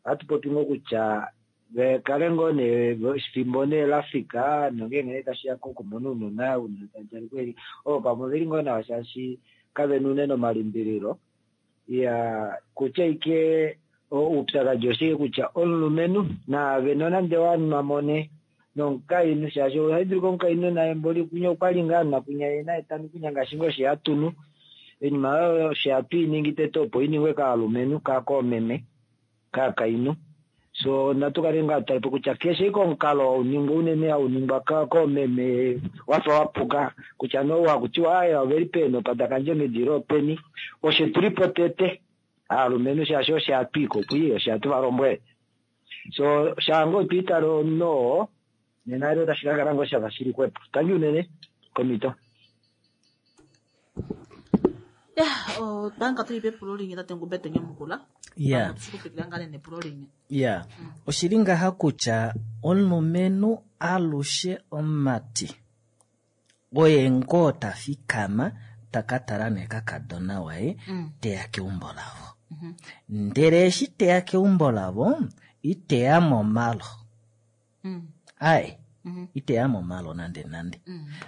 ohatu popi ngoo kutya vekale ngoo nee efimbo nee lafika nongeenge nee tashiya kokumona ounona, ounona tava djala kweli ovo pamwe oveli ngoo nawa shaashi kavena unene omalimbililo. Ya kutya ike oupyakadi oshike kutya omulumenhu naave nonande wanwa mone nomukainhu, shaashi ohai dulu komukainhu naye mboli kunya okwali ngaa anwa kunya ye naye tanu kunya ngaashi ngoo she hatunu. Oinima oyo she hatu i ningi tete opo i ningwe kaalumenhu, koomeme, kaakainhu. So natu kale ngaa tali po kutya keshe ike omukalo hau ningwa unene hau ningwa koomeme wafa wapuka kutya no wakutiwa aye oveli peenopa dakandje medilo openi, oshe tulipo tete aalumenhu shaashi oshe hatu i kokwi oshe hatu va lombwele. So shaanga otwa itale omunhu oo nena elo otashi ka kala ngoo shafa shili xwepo. Tangi unene komito. Ya, otwanga tuli pepulo linye tate Ngumbe to nyamukula. Ya. Tushikupitila ngale nepulo linye. Ya, oshili ngaha kutya omulumenhu alushe omumati oye ngoo ta fikama taka tala nee kakadona waye teya keumbo lavo. Ndele eshi teya keumbo lavo iteya momalo. Ai, iteya momalo nande nande.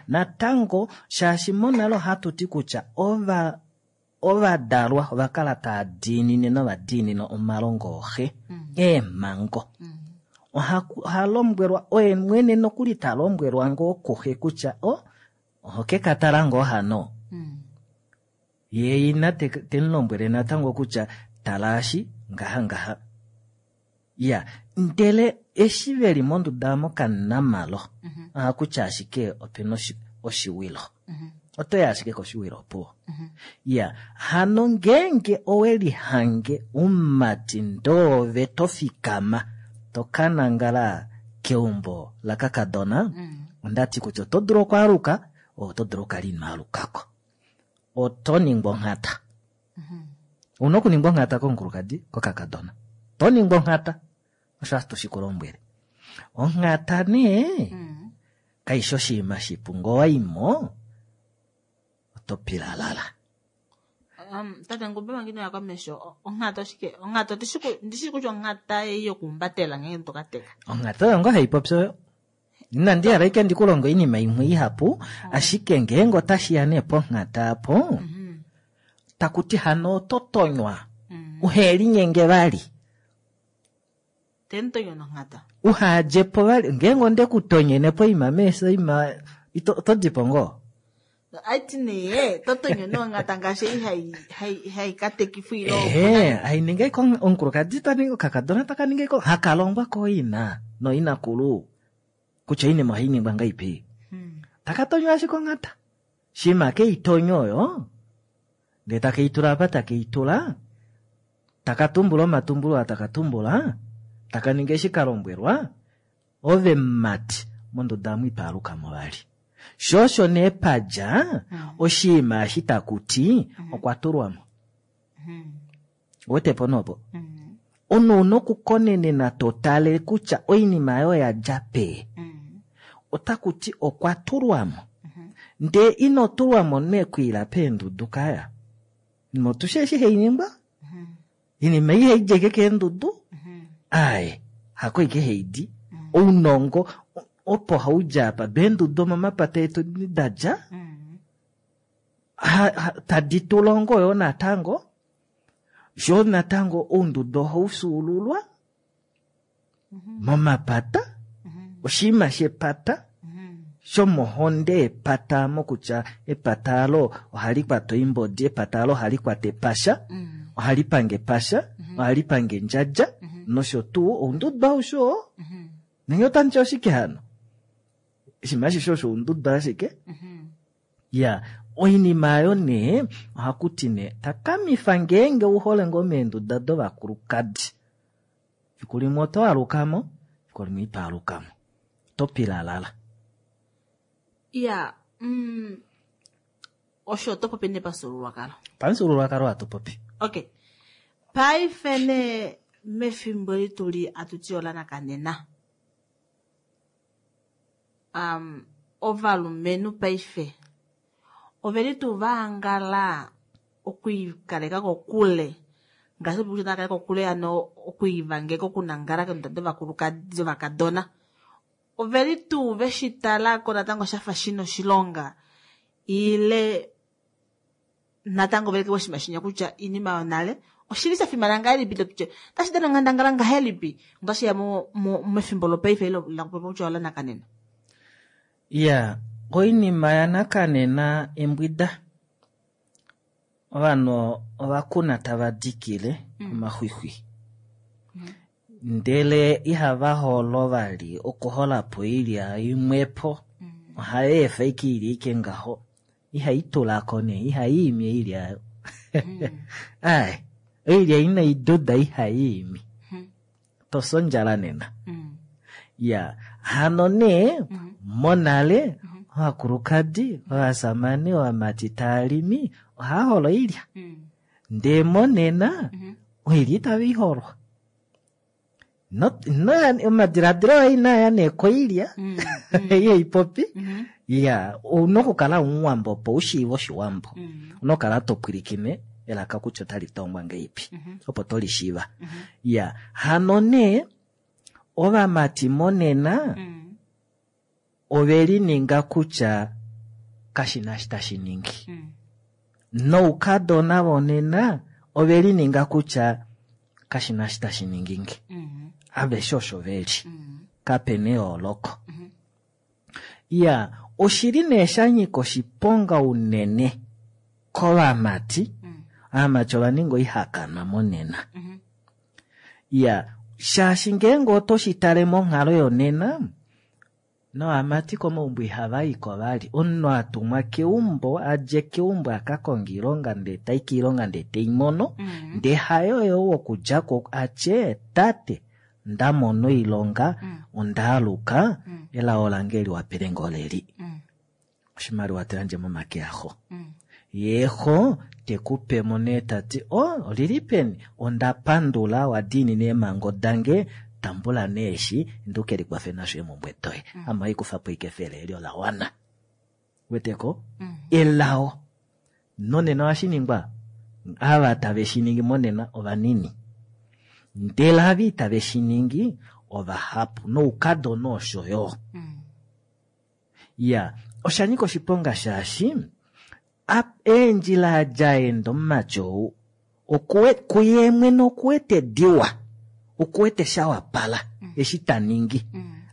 Natango shaashi monale ohatu ti kutya ovadalwa ova kala tava diinine novadiinine omalongo oxe, eemhango. Oha lombwelwa oye mwene nokuli ta lombwelwa ngoo kuxe kutya oho ke ka tala ngoo hano. Ye ina te mu lombwele natango kutya talaashi ngaha ngaha. Ya, ndele eshi veli monduda mokanamalo, ohakutya ashike opena oshiwilo. Otoya ashike koshiwilo opuwo. Ya, hano ngeenge owe lihange umati ndoove to fikama to ka nangala keumbo lakakadona, ondati kutya oto dulu okwaaluka, oto dulu okukala ino alukako. Oto ningwa onghata. Una okuningwa onghata komukulukadi, kokakadona. To ningwa onghata. Osho hatu shi ku lombwele. Onghata nee, kaishi oshinima shipu. Ngee owaimo, oto pilalala. Tate Ngumbe manga ino ya komesho, onghata oshike? Onghata ndishi kutya onghata ei yokuumbatela ngeenge to ka teka. Onghata oyo ngoo hai popi oyo. Inandi hala ike ndi ku longe oinima imwe ihapu, ashike ngeenge otashi ya nee ponghata apo, taku ti hano oto tonywa, uhe linyenge vali. Tentonyo nonghata. Uha dje po vali, ngeenge onde ku tonyene poima meesho ima, oto di po ngoo? Aiti nee, to tonyo nonghata ngaashi ei hai katekifwa ile Ehe, hai ningi ko omukulukadi ta ningi, okakadona taka ningi ko, haka longwa kooina nooinakulu kutya oinima ohai ningwa ngaipi. Taka tonywa ashike onghata. Shima ke i tonyo oyo, ndee take i tula apa take i tula, taka tumbula omatumbulo aa taka tumbula, taka ningi eshi ka lombwelwa, ove mumati monduda amu ipaaluka mo vali. Sho osho nee padja oshinima eshi taku ti okwa tulwa mo. Uwete po nopo? Omunhu una okukonenena to tale kutya oinima oyo ya dja pee. Otaku ti okwa tulwa mo. Ndee ino tulwa mo mekwiila peendudu kaya. Motushe eshi hai ningwa? Inima ei ihai djeke keendudu? Aye, hako ike hai di. Ounongo opo hau dja apa. Beendudu omomapata etu da dja, tadi tu longo yo natango. Sho natango oundudu ohau fyuululwa momapata, oshinima shepata, shomohonde yepata, mokutya epata alo ohali kwata oimbodi, epata alo ohali kwata epasha, ohali pange epasha, ohali pange endjadja, nosho tuu oundudu aushe oo. Nenge otandi ti oshike hano? Oshinima ashishe osho oundudu ashike. Ya, oinima ayo nee, ohaku ti nee, takamifa ngeenge u hole ngoo meenduda dovakulukadi. Fiku limwe oto aluka mo, fiku limwe ito aluka mo. Oto pilalala. Ya, osho oto popi nee pamufyuululwakalo. Pamufyuululwakalo hatu popi. Okay. Paife nee mefimbo eli tu li atu ti olanakanena. Ovalumenhu paife oveli tuu vaangala okwiikaleka kokule ngaashi kutya otava kaleke kokule hano okwiivangeka okunangala keenduda dovakulukadi dovakadona oveli tuu veshi tala ko natango shafa shina oshilonga ile natango veleke oshinima shinya kutya oinima yonale oshili sha fimana ngahelipi tutye otashi dana onghandangala ngahelipi otashi ya mefimbo lopaife ile lakupopya kutya olanakanena. Ya, oinima yanakanena embwida. Ovanhu ovakuna tava dikile omaxwixwi. Ndele ihava holo vali okuhola po oilya imwepo. Ohava efa ike ili ike ngaho. Ihai tulako nee, ihai imi oilya ayo. Ai, oilya inai duda ihai imi. Tosi ondjala nena. Ya, hano nee, monale, ovakulukadi, ovasamane, ovamati tava limi, ohava holo oilya. Ndee monena, oilya itava i holwa. Omadiladilo aye inaa ya nee koilya, ihai popi. Ya, ouna okukala omuwambo opo u shiive oshiwambo. Ouna okukala to pwilikine elaka kutya otali tongwa ngeipi, opo to lishiiva. Ya, hano nee, ovamati monena, ove lininga kutya kashina eshi tashi ningi. Noukadona vonena, ove lininga kutya kashina eshi tashi ningi nge. Aveshe osho veli. Kapena eyooloko. Ya, oshili nee sha nyika oshiponga unene kovamati. Ovamati ova ninga oihakanwa monena. Ya, shaashi ngeenge oto shi tale monghalo yonena, Novamati komaumbo ihava iko vali. Omunhu a tumwa keumbo, a dje keumbo a ka konga oilonga ndee tai koilonga ndee tei mono, ndee hayo yo wokudja ko a tye tate nda mona oilonga, onda aluka, elao lange liwapele ngoo leli. Oshimaliwa to yandje momake axo. Ye xo te ku pe mo nee ta ti, o, olili peni? Onda pandula, wa diinina eemhango dange, tambula nee eshi, inda u ke likwafe nasho eemhumbwe doye. Ame ohai kufa po ashike efele eli ola wana. Weteko? Elao. Nonena ohashi ningwa, ava tave shi ningi monena ovanini. Ndele ava itave shi ningi ovahapu, noukadona osho yo. Ya, osha nyika oshiponga shaashi eendjila adjaenda omumati ou kuye mwene okuwete diwa, okuwete sha wapala eshi ta ningi,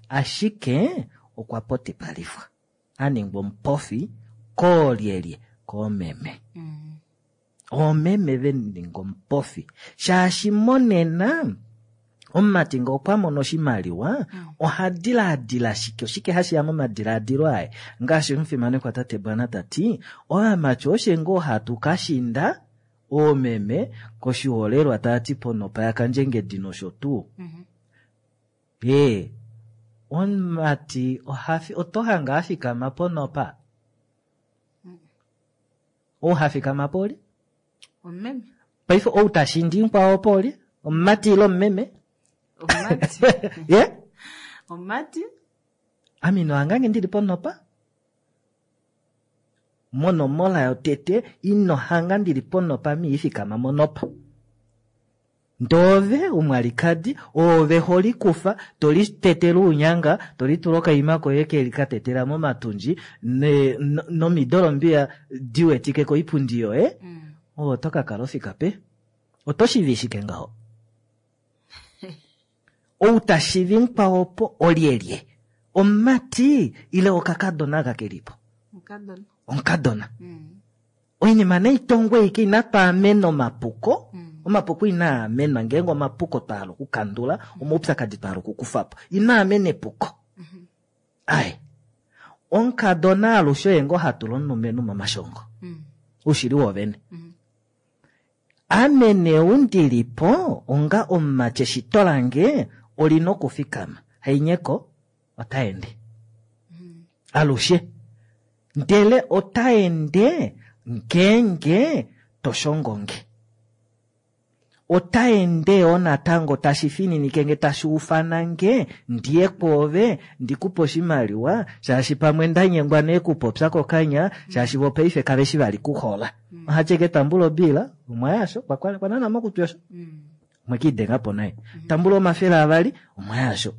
ashike okwa potipalifwa, a ningwa omupofi koolyelye? Koomeme. Oomeme ve ninga omupofi shaashi monena omumati ngee okwa mono oshimaliwa oha dilaadila shike? Oshike hashi ya momadilaadilo aye? Ngaashi omufimanekwa tate Bwana ta ti, ovamati oshe ngoo hatu ka shinda oomeme koshiholelwa tava ti ponopa yaKandjengedi nosho tuu. Ee, omumati oto hange a fikama ponopa? Ou ha fikama po olye? Omumeme. Paife ou ta shindi mukwao opo olye? Omumati ile omumeme? Omumati. Ye? Omumati. Ame ino hangange ndili ponopa? Monomola yotete ino hanga ndili ponopa ame i fikama monopa. Ndee ove omwalikadi, oove ho likufa, to litetele ounyanga, to litula okaima koye ke ka tetela momatundji, nomidolombiya di wetike koipundi yoye, ove oto ka kala ofika pe? Oto shivi shike ngaho? Ou ta shivi mukwao opo olyelye? Omumati ile okakadona aka ke li po? Omukadona. Omukadona. Oinima nai tongwe ike inatu amena omapuko, omapuko inaa amenwa ngeenge omapuko twa hala okukandula, omaupyakadi twa hala okukufa po, ino amena epuko. Ai, omukadona alushe oye ngoo ha tula omulumenhu momashongo. Oushili woovene. Ame nee ou ndi li po onga omumati eshito lange oli na okufikama, hainyeko ota ende. Alushe. Ndele ota ende ngeenge to shongo nge. Ota ende yo natango tashi fininike nge tashi ufana nge ndiye kwoove ndi ku pe oshimaliwa shaashi pamwe nda nyengwa nee kupopya kokanya shaashi vo paife kave shi vali kuhola. Oha tye ke tambula obiila, omwa yasho, kwa nana mokutwi osho. Omwe kiidenga po naye. Tambula omafele avali, omwa yasho.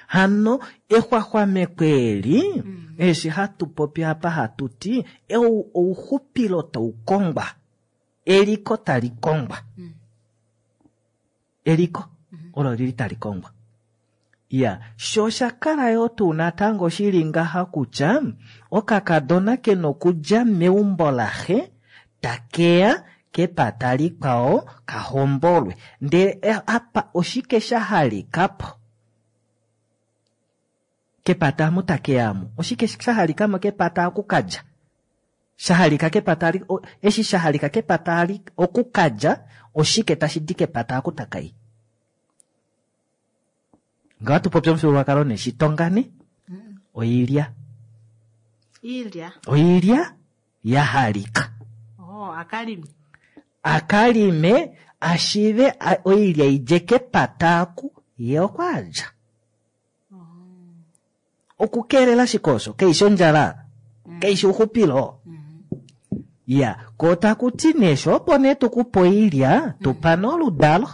Hano exwaxwameko eli, eshi hatu popi apa hatu ti, ouxupilo tau kongwa, eliko tali kongwa. Eliko olo lili tali kongwa. Ya, sho osha kala yo tuu natango shili ngaha kutya okakadona ke nokudja meumbo laxe takeya kepata likwao ka hombolwe. Ndele apa oshike sha halika po? Kepata amu takeya amu. Oshike sha halika mo kepata aku ka dja? Sha halika kepata ali, o, eshi sha halika kepata ali oku ka dja, oshike tashi di kepata aku takai? Nga tu popya omufyuululwakalo ne shitongane, oilya. Iilya. Oilya ya halika. Oh, akalime. Akalime ashive oilya idje kepata aku, ye okwa dja. Okukeelela shike osho? Keishi ondjala? Keishi ouxupilo? Ya, ko taku ti nee sho opo nee tukupe oilya, tupa nee oludalo.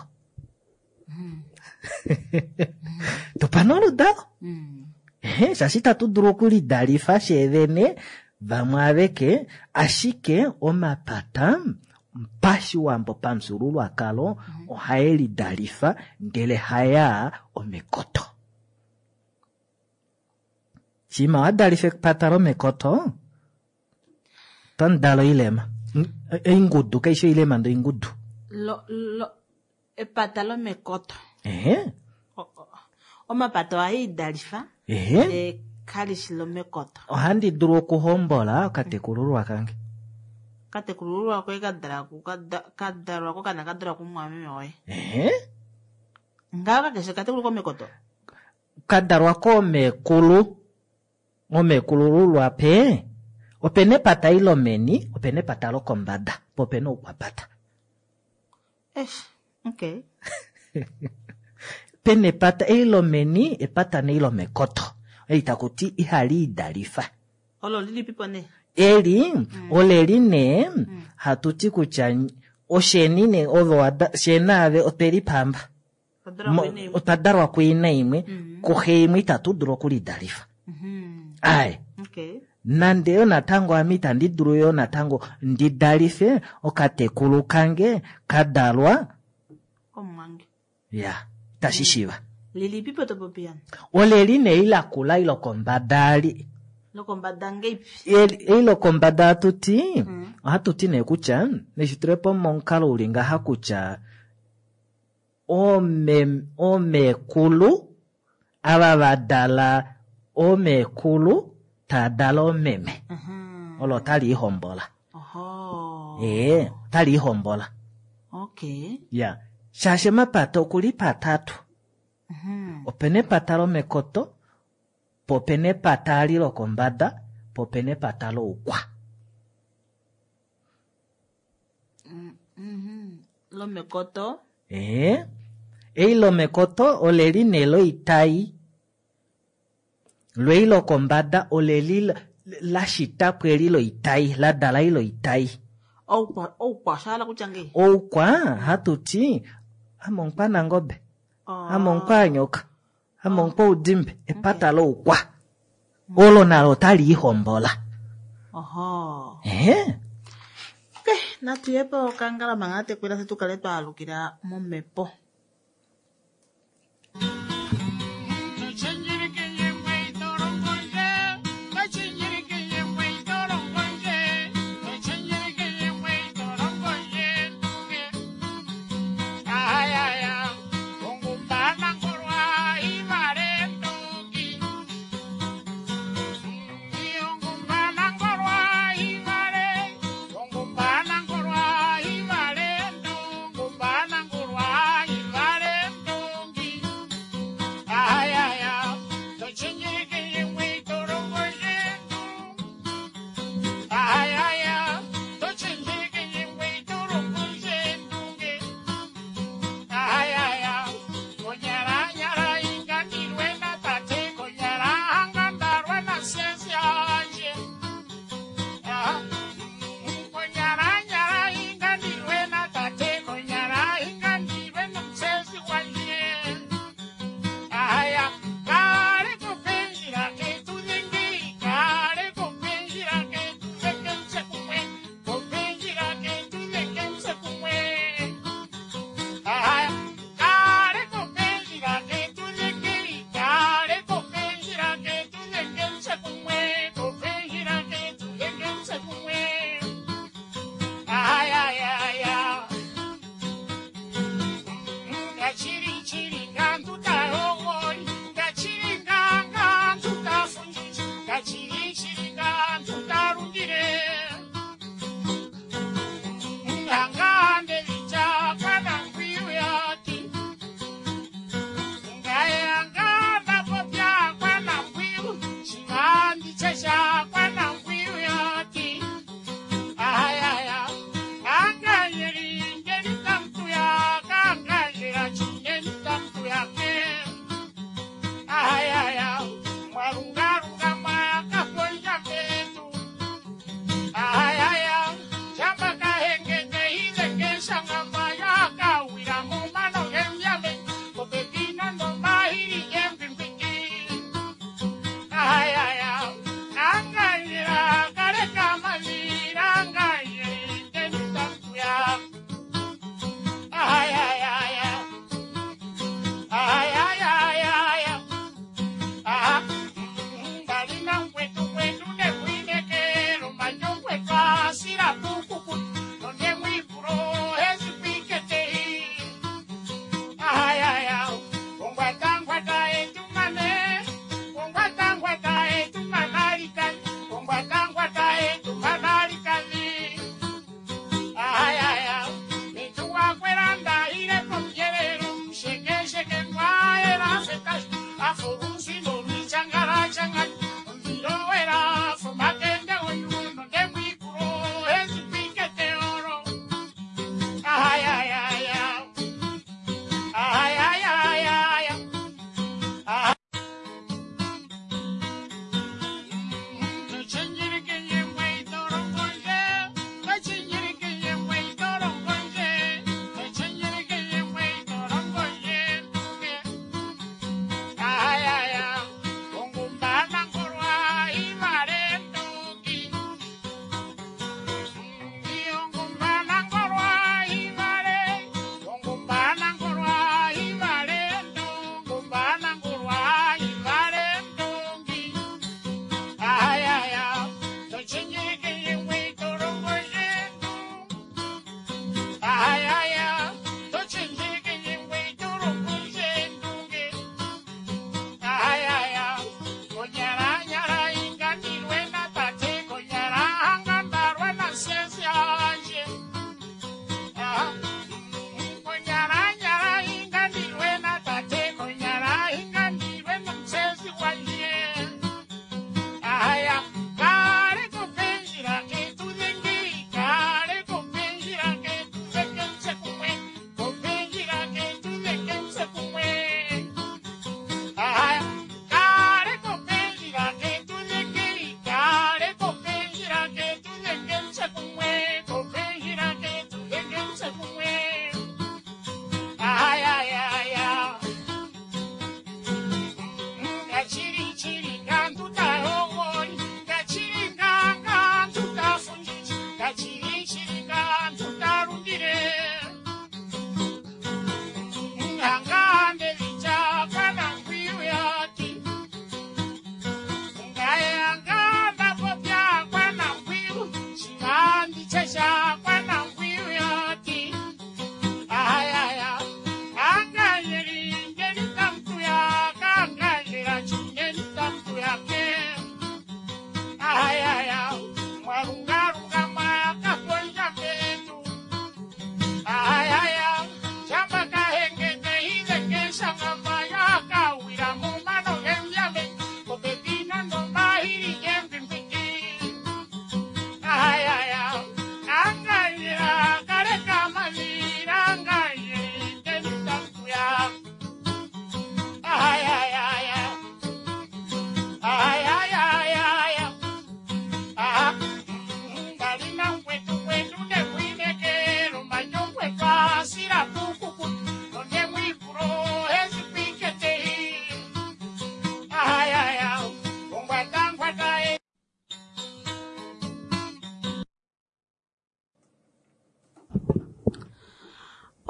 Tupa nee oludalo. Ehe, shaashi itatu dulu okulidalifa sheevene vamwe aveke, ashike omapata pashiwambo pamufyuululwakalo ohae lidalifa ndele hayaa omekoto. Shima wa dalifa epata lomekoto, oto dala oilema. Oingudu, kaishi oilema ndee oingudu. Epata lomekoto. Ehe. Omapata ohaa idalifa Ehe. ndele kali shi lomekoto. Ohandi dulu okuhombola okatekulululwa kange. Katekulululwa koye ka dalwa kokana ka dalwa kumumwameme woye. Ehe. Ngaho kakeshe katekulu komekoto. Ka dalwa koomekulu, omekulululwa pe, opena epata eli lomeni, opena epata lokombada, po opena oukwapata. Eish, okay. Pena epata eli lomeni, epata nei lomekoto. Eli taku ti ihali idalifa. Olo lilipipo nee? Eli, oleli nee, hatu ti kutya osheni nee, ove wada, fye naave otwe lipamba. Otwa dalwa kuina imwe, kuxe imwe itatu dulu okulidalifa. Aye. Nande yo natango ame itandi dulu yo natango ndi dalife okatekulu kange ka dalwa Komumwange. Ya, itashi shiva. Lilipipo to popi yani? Oleli nee lakula eli lokombada ali. Lokombada ngeipi? Eli lokombada hatu ti, ohatu ti nee kutya, neshi tule po momukalo uli ngaha kutya, oomekulu, ava va dala oomekulu, taa dala oomeme. Olo otali ihombola. Ee, otali ihombola. Ya, shaashi omapata okuli patatu. Opena epata lomekoto, po opena epata ali lokombada, po opena epata loukwa. Lomekoto? Ee, ei lomekoto oleli nee loitai, lwei lokombada oleli la shitapwa eli loitai, la dala eli loitai. Oukwa, oukwa osha hala kutya ngei? Oukwa, hatu ti, ame omukwanangobe, ame omukwanyoka, ame omukwaudimbe, epata loukwa. Olo nalo otali ihombola. Oho. Ehe. Okay, natu ye po okangala manga tekwila se tukale twa alukila momhepo. Bye.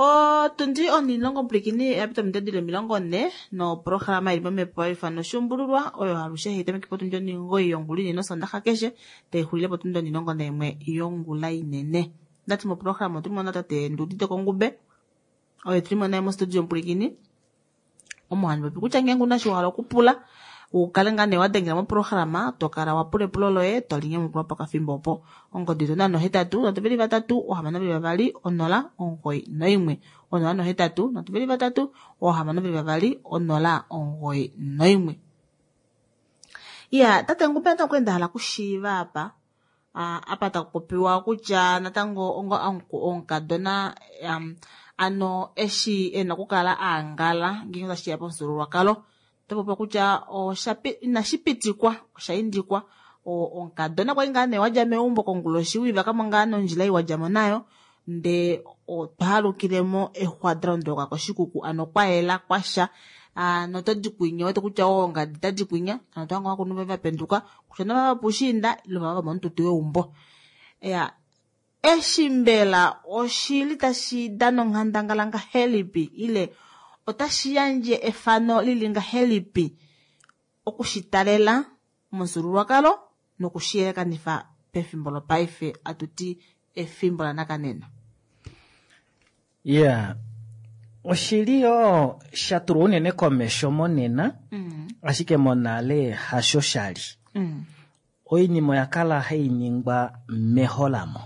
Otundi onimulongo pwilikini oya pita ominute dili 40 noprograma ili momhepo haifano oshuumbululwa oyo alushe hai tameke potundi 9 yongula inene osondaxa keshe tai xulile potundi 11 yongula inene. Ndati moprograma otuli mo natate Nduudite Kongube oye tuli mo naye mostudio pwilikini omo handi popi kutya ngeenge una shi wa hala okupula ukale ngaa nee wa dengela moprograma to kala wa pula epulo loye to linyamukulwa pakafimbo opo. Ongodi yetu 08 3 6 2 091 088 3 6 2 091. Iya, tate Ngube natango kwali nda hala okushiiva apa apa taku popiwa kutya natango onga omukadona ano eshi ena okukala aangala ngeenge otashiya pamufyuululwakalo ota popiwa kutya inashi pitikwa osha indikwa omukadona kwali ngaa nee wadja meumbo konguloshi wiivakamo ngaa nondjila ei wadjamo nayo ndee otwa halukilemo exwa dalondoloka koshikuku ano kwayela kwasha notodi kwinya wete kutya ongadi tadi kwinya ano tohango ovakulunhu voye vapenduka kutya novava vopoushiinda ile ovava vomomututu weumbo. Ya eshi mbela oshili tashi dana onghandangala ngahelipi ile otashi yandje efano lili ngahelipi okushitalela momufyuululwakalo nokushiyelekanifa pefimbo lopaife atuti efimbo lanakanena. Yeah. Oshili yo sha tulwa unene komesho monena, ashike monale hasho shali. Oinima oya kala hai ningwa meholamo.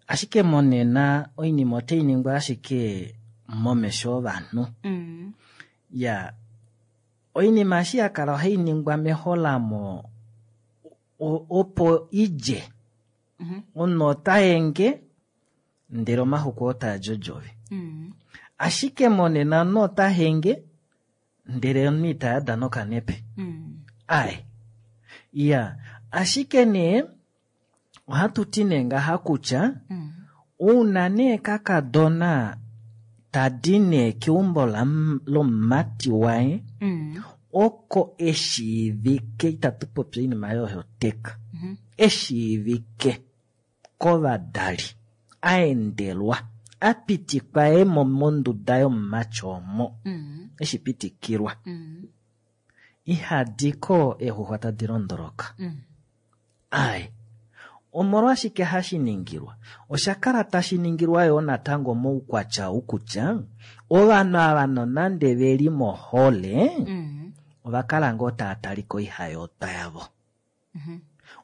Ashike monena oinima otai ningwa ashike momesho ovanhu. Ya oinima eshi ya kala ohai ningwa meholamo opo idje. Omunhu ota enge ndele omaxuku otaa djodjove. Ashike monena omunhu ota henge ndele omunhu ita yada nokanepe. Ai. Ya, ashike nee ohatu ti nee ngaha kutya ouna nee kakadona tadi nee keumbo lomumati waye oko eshiivike, itatu popi oinima yohoteka, eshiivike kovadali, aendelwa, apitikwa ye monduda yomumati omo, eshi pitikilwa. Ihadiko eexuxwa tadi londoloka. Ai, omolwashike hashi ningilwa? Osha kala tashi ningilwa yoo natango moukwatya ou kutya ovanhu ava nonande veli mohole ova kala ngoo tava talika oihayotwa yavo.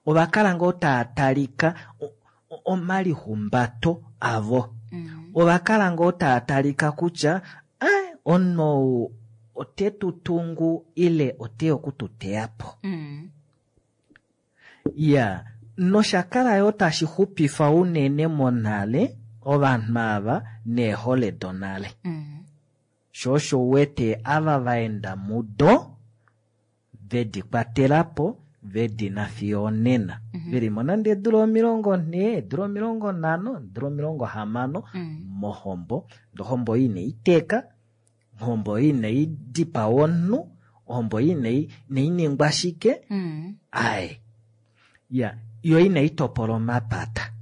Ova kala ngoo tava talika omalihumbato avo. Ova kala ngoo tava talika kutya omunhu ou ote tu tungu ile ote okututeya po. Ya, nosha kala yoo tashi xupifa unene monale ovanhu ava neehole donale. Sho osho uwete ava vaenda mudo vedi kwatela po vedina fiyo onena. Velimo nande eedula 40, eedula 50, eedula 60 mohombo. Ohombo ei inai teka, ohombo ei inai dipawa omunhu, ohombo ei inai ningwa shike. Ai. Ya, yo inai topola omapata.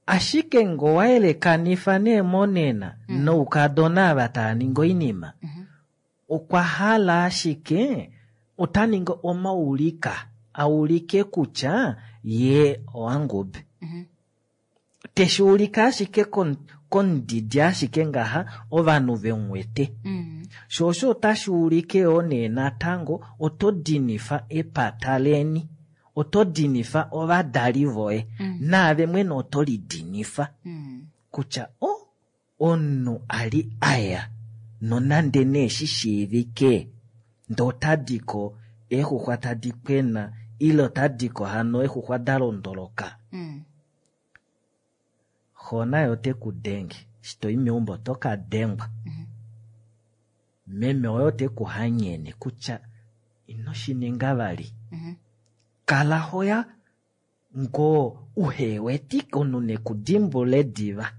Ashike ngo wayelekanifa nee monena noukadona ava tava ningi oinima, okwa hala ashike ota ningi omaulika aulike kutya ye owangube. Teshi ulika ashike komudidi ashike ngaha ovanhu vemuwete. Sho osho otashi ulike yoo nee natango oto dinifa epata leni, oto dinifa ovadali voye, naave mwene oto lidinifa kutya omunhu ali aya nonande nee shi shiivike ndee otadiko eexuxwa tadi kwena ile otadiko hano eexuxwa da londoloka. Xo naye ote ku denge, eshi toi meumbo oto ka dengwa. Meme oye ote ku hanyene kutya ino shi ninga vali. Kala hoya ngoo uhewetike omunhu nekudimbule diva.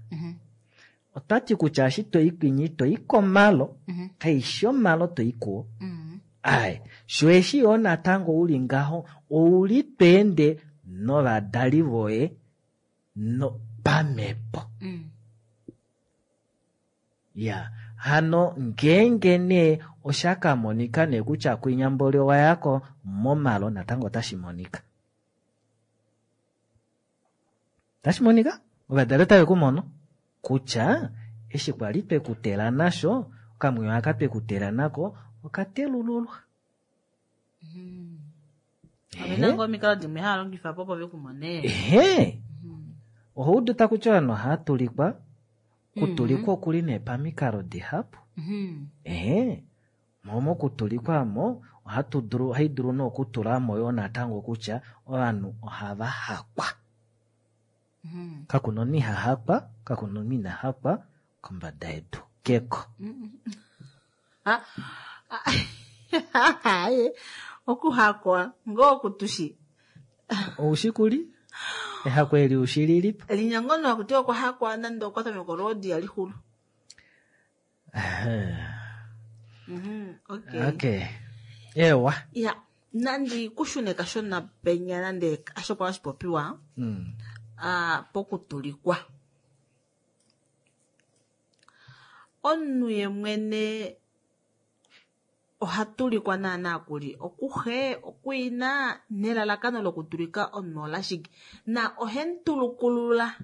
Otwati kutya eshi toi kwinyi toi komalo, kaishi omalo toi kuo. Ai, sho eshi yoo natango uli ngaho ouli tweende novadali voye no pamhepo. Ya, hano ngeenge nee osha ka monika nee kutya kwinyamboli owa yako momalo natango otashi monika. Otashi monika ovadali otave ku mono kutya eshi kwali twe ku tela nasho, okamwiyo aka twe ku tela nako okatelululwa. Opena ngoo omikalo dimwe haa longifa po opo ve ku mone. Ehe, oho udu taku ti ovanhu ohaa tulikwa, kutulikwa okuli nee pamikalo dihapu. Ehe, mo mokutulikwa mo ohatu dulu, ohai dulu nee okutula mo yoo natango kutya ovanhu ohava hakwa. Kakuna omunhu iha hakwa, kakuna omunhu ina hakwa kombada yedu keko. Aye, okuhakwa ngoo okutushi. Oushi kuli? Ehako eli ushi lilipo? Linyango no akuti okwa hakwa nande okwa tameka olwoodi ya lixulu. Okay. Okay. Ewa. Ya, nandi kushune kashona penya nande asho kwa oshipopiwa. Pokutulikwa. Omunhu ye mwene oha tulikwa naana kuli okuxe, okuina nelalakano lokutulika omunhu olashike na ohe mutulukulula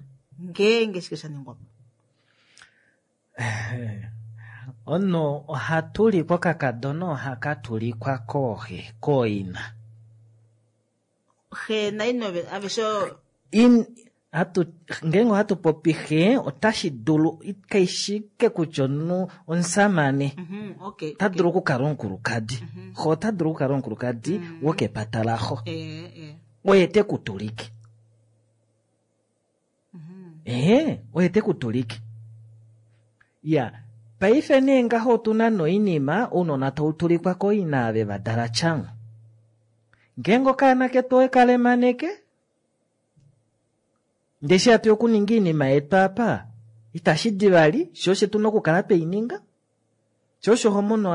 ngeenge shike sha ningwa po. Omunhu oha tulikwa okakadona ohaka tulikwa kooxe, kooina. Xe naina aveshe Ngeenge ohatu popi xe, otashi dulu kaishike kutya omunhu omusamane. Ota dulu okukala omukulukadi. Xe ota dulu okukala omukulukadi wokepata laxo. Oye te ku tulike. Oye te ku tulike. Ya, paife nee ngaho otuna noinima ounona tau tulikwa koina ave va dala tyango. Ngeenge okaana ketu owe ka lemaneke, ndeshi hatu okuninga iinima yetu apa, itashi di vali, sho osho tuna okukala twei ninga. Sho osho ho mono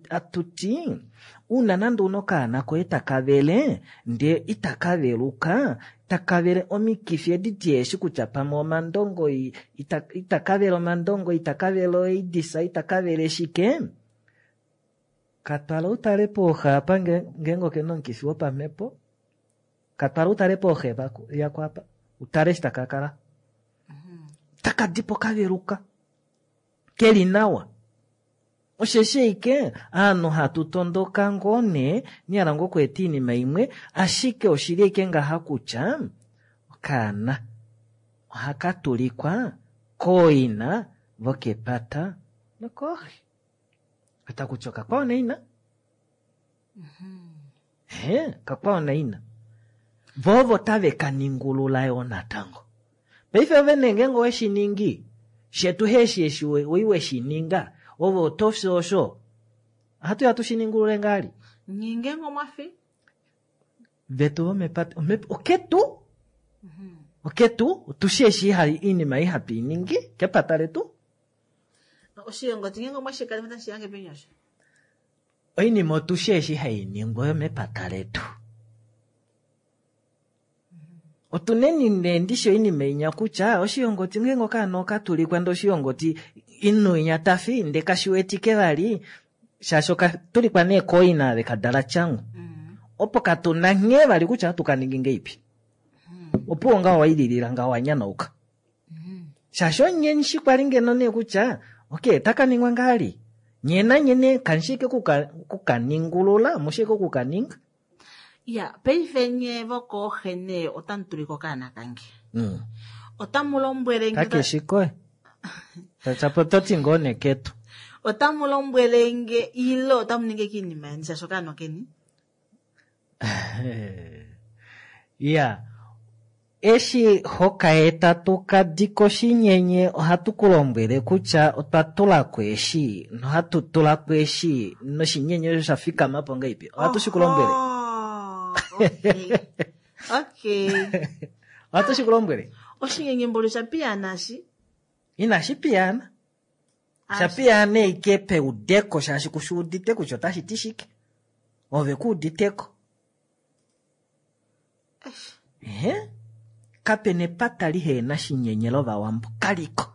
atuti, una nande una okaana koye taka vele, ndee itaka veluka, taka vele omikifi edi dieshi kutya pamwe omandongo, itaka vele omandongo, itaka vele oidisa, itaka vele shike. Katwala utale pooxa apa ngeenge okena omukifi wopamhepo, katwala utale pooxa yako apa, utale eshi taka kala. Taka dipo kaveluka, keli nawa. Osheshi eike, aanhu hatu tondoka ngoo nee, nihala ngoo okweeta iinima imwe, ashike oshili eike ngaha kutya, okaana ohaka tulikwa kooina vokepata nokooxe. Otakutya okakwao naina. Okakwao naina. Vovo tave ka ningulula yo natango. Paife ove nee ngeenge owe shi ningi, shetu heshi eshi oi we shi ninga, ove oto fi osho. Ohatu ya tu shi ningulule ngali? Ninge ngomwafi? Vetu vomepata, oketu? Oketu, otu shi eshi iinima ihapu iningi, kepata letu. Oshilongo tinge ngomwashi kali mata shiyange penyosha. Oinima otu shi eshi hai ningwa yo mepata letu. Otuneni nee ndishi oinima inya kutya oshilongo tinge ngoka no katulikwa ndo oshilongo ti inu inya tafi nde kashiwetike vali shaashi okatulikwa nee koina ve kadala tyangu. Opo katuna nghee vali kutya ohatu ka ningi ngeipi. Opo ngaho waililila ngaho wanyanauka. Shaashi onyenshi kwali ngeno nee kutya okay taka ningwa ngali. Nye nanye nee kanshike kukaningulula, mushike kukaninga. Ya, paife nye vokooxe nee otamu tulika okaana kange. Otamu lombwele nge Kakeshi koye. Tachapo toti ngoo neketu. Otamu lombwele nge ile otamu ninge kiinima yeni shaashi okaana keni. Ya. Eshi hokaeta tukadi koshinyenye ohatu ku lombwele kutya otwa tula ko eshi nohatu tula ko eshi noshinyenye osho sha fikama po ngaipi. Ohatu shi ku lombwele. Okay. Ohatu shi ku lombwele. Oshinyenye mbolo sha piyaana shi? Inashi piyaana. Sha piyaana ike peudeko shaashi kushi udite kutya otashi ti shike. Ove ku uditeko. Kapena epata lihena shinyenye lovawambo kaliko.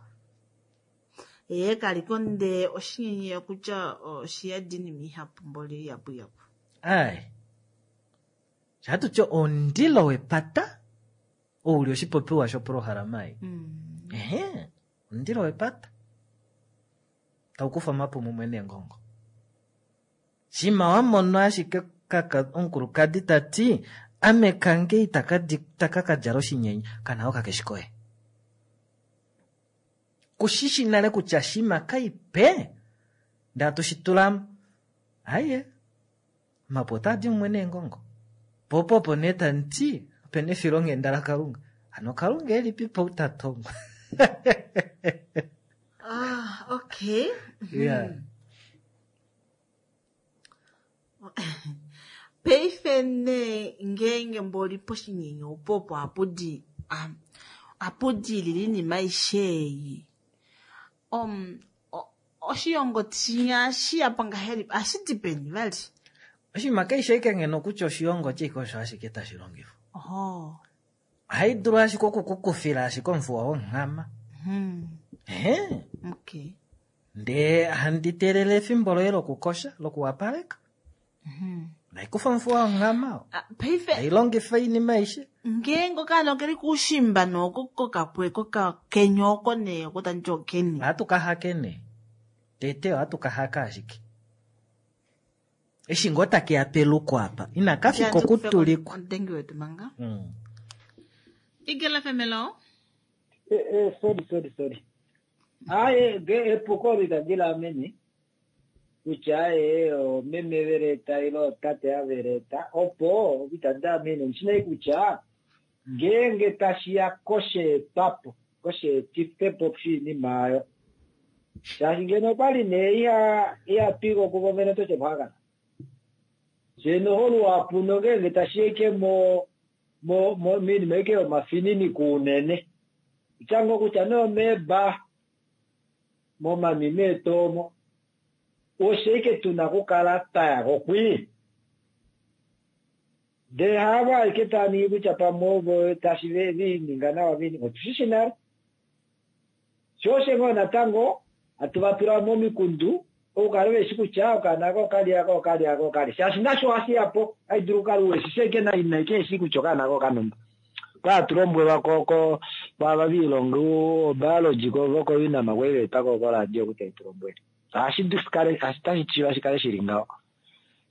Ye kaliko ndee oshinyenye okutya oshiyadi inima ihapu mboli ihapu ihapu. Ai. Shatu omundilo wepata ouli oshipopiwa shoprohalama ei. Ehe, omundilo wepata tau kufa omapu mumwe neengongo. Shima wa mono ashike kaka omukulukadi ta ti ame kange itaka ka djala oshinyenye kana okakeshi koye. Kushishi nale kutya shima kaipe ndee hatu shi tulamo. Aye, omapu otaa di mumwe neengongo. Po opo nee tamuti opena efilonghenda laKalunga. Hano Kalunga elipipo ou ta tongwa. Ah, okay. Yeah. Paife nee ngeenge mboli poshinyenye opo opo ohapu di ohapu diilile oinima aishe ei. Oshilongo shinya shiyapo ngahelipi? Ohashi di peni vali? Oshinima keshe ashike ngeno kutya oshilongo shike osho ashike tashi longifwa. Oho. Ohai dulu ashike okukukufila ashike omufuwa wonghama. Ehe. Okay. Ndee handi teelele efimbo loye lokukosha, lokuwapaleka. Naikufa omufuwa wonghama. Paife Hai longifa oinima aishe. Ngeenge okaana okeli kuushimba noko kokapwe kokakenya oko nee oko tandi okeni. Ohatu ka hake nee. Tete ohatu ka haka ashike. Eshi ngoo takeya peluko apa. Ina ka fika okutulikwa. Omudengi wetu manga. Eagle FM, hello. Sorry, sorry, sorry. Aye, epuko litandi laamene. Kutya aye, omeme veleta ile otate aveleta. Opo, itandi amene. Ndishinai kutya, ngeenge tashiya kosheetwapo, kosheetifepo oshinima ayo. Shaashi ngeno okwali nee iha twika okuvo vene otoshe kuhakana. Sheno holuhapu nongeenge tashiya ike minima ike yomafininiko unene. Kutya ngoo kutya nee omeeba, momami meetomo, osho ike tuna okukala twaya kokwii. Ndee haavo aike taa ningi kutya pamwe ovo tashi viininga nawa viininga, otushishi nale. Sho osho ngoo natango hatu va tula momikundu okukala veshi kutya okaana ko okali aka okali aka okali. Shaashi nasho ohashi ya po, hai dulu okukala uweshishi ashike naina ike eshi kutya okaana ko okanumba. Kwa hatu lombwelwa ko kwaava viilonga obiology ko voko UNAM kwali veetwa ko koradio kutya itu lombwele. Ohashi kale, tashi shiiva shi kale shili ngaho.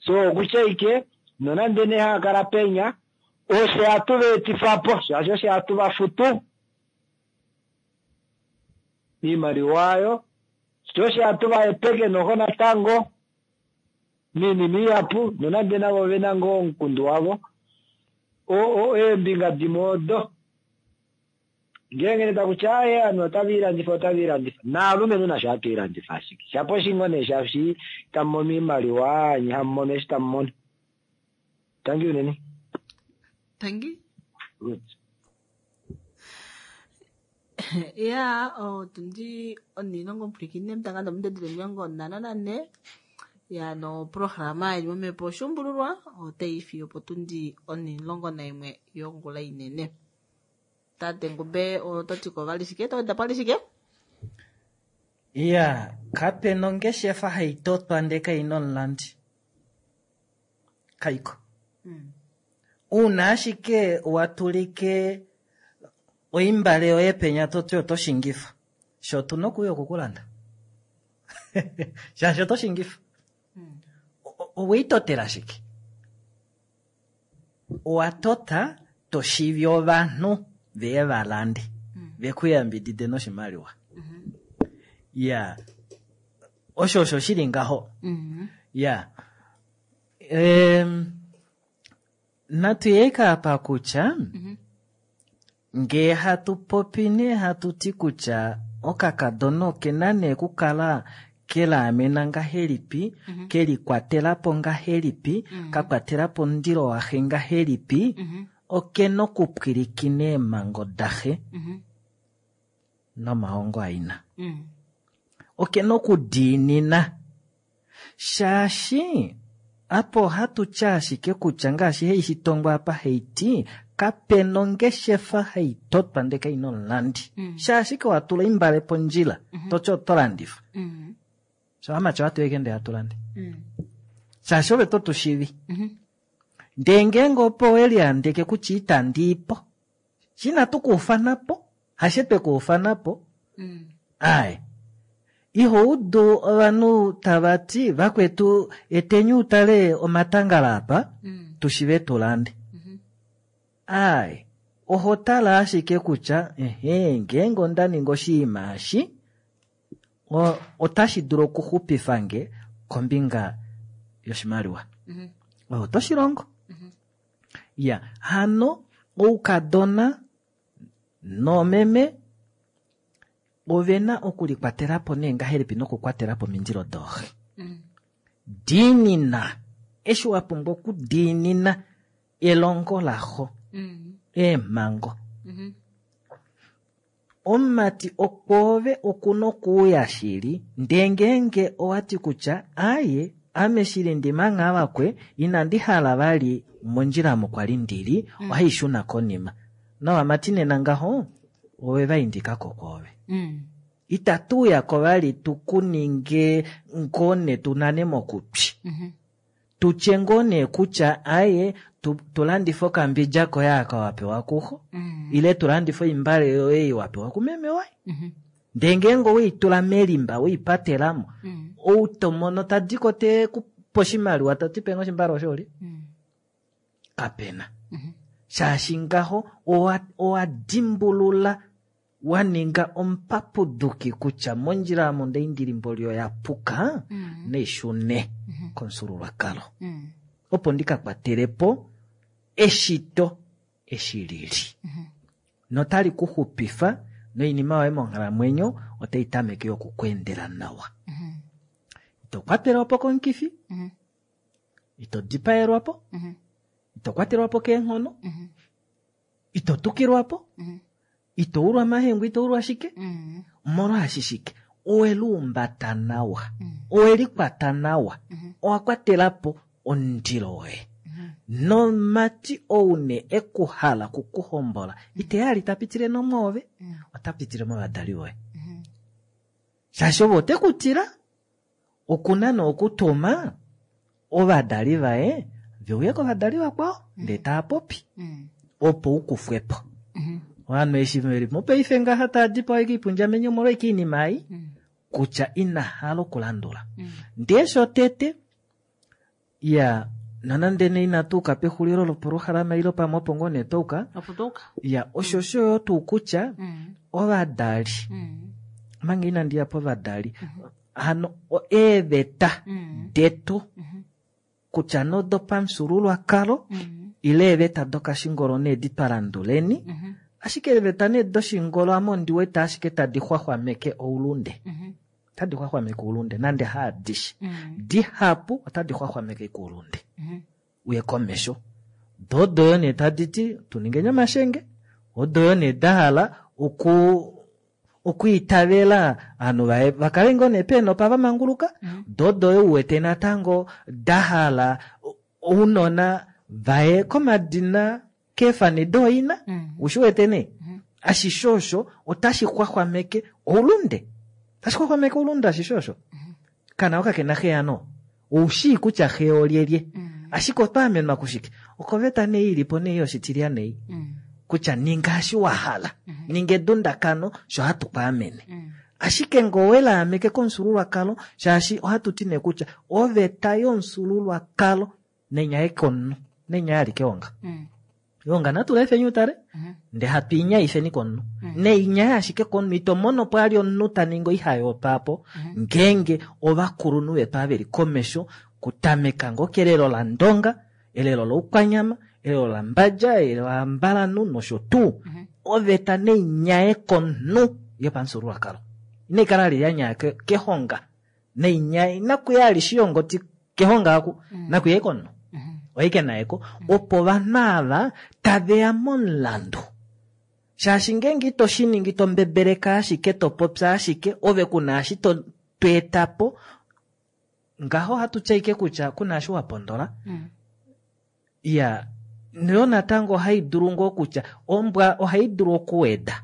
So okutya ike nonande nee haa kala penya osho hatu va etifa po, shaashi osho hatu va futu iimaliwa ayo, sho osho hatu va hepeke noho natango miinima ihapu, nonande navo vena ngoo omukundu wavo. Eembinga dimwe odo ngeenge ne takutya aye ovanhu otava ilandifa, otava ilandifa. Naalumenhu nasho hatu ilandifa ashike. Shapo oshingo nee shaashi tamu mono iimaliwa, nye hamu mono eshi tamu mono. Tangi unene. Tangi? Good. Ya, otundi onilongo mpwilikine mutanga nomudedele 54. Ya, no programa ili momhepo oshuumbululwa, otai fiyo potundi 11 yongula inene. Tate Ngube, oto ti ko vali shike? To weda pali shike? Ya, kape nongeshefa hai totwa ndee kaina omulandi. Kaiko. Uuna ashike wa tulike oimbale yoye penya to ti oto shingifa, sho otu na okuuya okukulanda. Shaashi oto shingifa. Oweitotela shike? Owa tota to shivi ovanhu veye va lande, ve ku yambidide noshimaliwa. Ya, osho osho shili ngaho. Ya. Natu ye apa kutya ngee hatu popi nee hatu ti kutya okakadona okena nee kukala kelaamena ngahelipi, kelikwatela po ngahelipi, kakwatela po omundilo waxe ngahelipi, okena okupwilikina eemhango daxe nomahongo aina. Okena okudiinina. Shaashi apa ohatu tya ashike kutya ngaashi hei shitongwa apa hei ti, Kape nongeshefa hai totwa ndee kai na omulandi. Shaashi ke wa tula oimbale pondjila, toti oto landifa. Sho amati ohatu eke ndee hatu lande. Shaashi ove to tu shivi. Ndee ngeenge opo we liandeke kutya itandi i po, shi inatu ku ufana po, hashe twe ku ufana po. Ai. Iho udu ovanhu tava ti, vakwetu eteni utale omatangala apa, tu shive tu lande. Ai, oho tala ashike kutya, ehe, ngeenge onda ninga oshinima eshi, otashi dulu okuxupifa nge kombinga yoshimaliwa. Oto shi longo. Ya, hano oukadona noomeme ove na okulikwatela po nee ngahelipi nokukwatela po omindilo dooxe. Diinina eshi wa pumbwa okudiinina elongo laxo, eemhango. Omumati okwoove okuna okuuya shili, ndee ngeenge owati kutya aye ame shili ndimangha vakwe inandi hala vali mondjila omo kwali ndili, ohaishuna konima. Novamati nena ngaho ove va indikako kwoove. Itatu uyako vali tu ku ninge ngoo ne tu nane mokutwi. Tutye ngoo nee kutya aye tu landife okambidja koye aka wa pewa kuxo, ile tu landife oimbale yoye ei wa pewa kumeme waye. Ndee ngeenge oweitula melimba, weipatelamo, ou to mono tadiko te ku pe oshimaliwa, ta ti penge oshimbale osho oli? Kapena. Shaashi ngaho owa dimbulula wa ninga omupapuduki kutya mondjila omo ndaindilimbo oya puka, naishune komufyuululwakalo. Opo ndika kwatele po eshito eshi lili. Notali ku xupifa noinima yoye monghalamwenyo otai tameke oku ku endela nawa. Ito kwatelwa po komukifi, ito dipaelwa po, ito kwatelwa po keenghono, ito tukilwa po, ito ulwa mahengu, ito ulwa shike, omolwaashi shike? Owe luumbata nawa, owe likwata nawa, owa kwatela po omundilo woye. Nomati ou ne ekuhala kukuhombola, ite ali ta pitile nomwoove, ota pitile movadali voye. Shaashi ove ote ku tila, okuna nookutuma ovadali vaye ve uye kovadali vakwao, ndee taa popi, opo u kufwe po. Ovanhu eshi veli mopaife ngaha taa dipawa kiipundjamenye omolwaike oinima ei, kutya ina hala okulandula. Ndee shotete, ya, nonande nee inatu uka pexulilo lopolohalama ile pamwe opo ngoo nee twauka, Opo twauka. ya, osho osho yo tuu kutya ovadali, omanga inandi ya povadali, hano eeveta detu kutya nodopamufyuululwakalo ile eeveta dokashingolo nee di twa landuleni, ashike eeveta nee doshingolo ame ondi wete ashike tadi xwaxwameke oulunde. Otadi xwaxwameke oulunde nande haadishe. Dihapu otadi xwaxwameke oulunde. Uye komesho. Do odo yo nee tadi ti tu ningeni omashenge, odo yo nee da hala okwiitavela ovanhu vaye vakale ngoo nee peenopa va manguluka, do odo yo uwete natango da hala ounona vaye komadina keefani dooina, ushi wete nee? Ashishe osho otashi xwaxwameke oulunde. Otashi xwaxwameke oulunde ashishe osho. Kana oka kena xe yano. Oushii kutya xe olyelye. Ashike otwa amenwa kushike? Okoveta nee ilipo nee yoshitilya nei. Kutya ninga eshi wa hala. Ninga edundakano sho hatu ku amene. Ashike ngee owe laameke komufyuululwakalo, shaashi ohatu ti nee kutya oveta yomufyuululwakalo nenyaye komunhu, nenyaye alike onga. Onga natu lefeni utale, ndee hatu inyaifeni komunhu. Neinyaye ashike komunhu, ito mono po ali omunhu ta ningi oihayo papo, ngeenge ovakulunhu vetu ava veli komesho, kutameka ngoo kelelo laNdonga, elelo loukwanyama, elelo laMbadja, elelo laMbalanhu nosho tuu. Oveta neinyaye komunhu yopamufyuululwakalo. Inai kala ali ya nyaya kehonga. Neinyaye, nakuya ali shiyongoti kehonga aku, nakuya komunhu. Oike naeko, opo ovanhu ava taveya momulandu. Shaashi ngeenge ito shi ningi to mbebeleka ashike, to popya ashike, ove kuna eshi to eta po, ngaho ohatu tya ike kutya kuna eshi wa pondola. Ya, Yo natango ohai dulu ngoo kutya ombwa ohai dulu okuweda.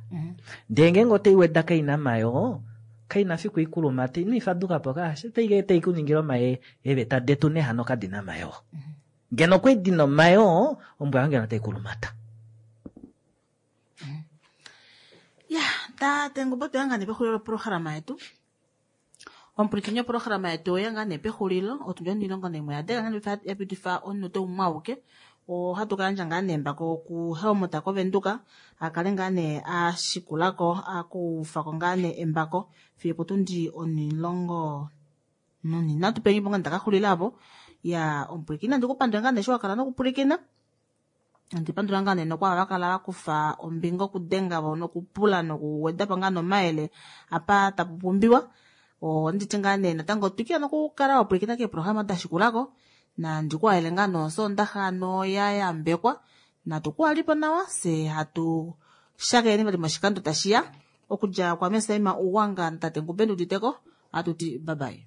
Ndee ngeenge otai weda kaina mayoo, kaina fiku ikulumate, ino ifaduka po kaashe, tai tai ku ningile omaye eeveta detu nee hano kadina mayoo. Ngeno okwali dina omayoo, ombwa yo ngeno otai kulumata. Ya, tate Ngumba otweya ngaa nee pexulilo loprograma yetu. Omupwilikini woprograma yetu oya ngaa nee pexulilo, otundi 11 ya denga ngaa nee ya pitifa omunute umwe auke. Ohatu ka yandja ngaa nee embako kuHelmut koVenduka, a kale ngaa nee a shikulako, a kufako ngaa nee embako fiyo potundi 13 pengi po ngaa ndaka xulila apo. Ya, omupwilikini nandi ku pandule ngaa nee eshi wa kala nokupwilikina. Andi pandula ngaa nee nokwaava va kala va kufa ombinga okudenga vo nokupula nokuweda po ngaa nomayele apa tapu pumbiwa. Onditi ngaa nee natango twikila nokukala wa pwilikina keeprograma da shikulako. Nandi ku halele ngaa nosoondaxa noya yambekwa. Natu ku halipo nawa, fye hatu shakeneni vali moshikando tashiya. Okudja kwa Mesaima Uwanga natate Ngumbe Nduditeko, ohatu ti bye bye.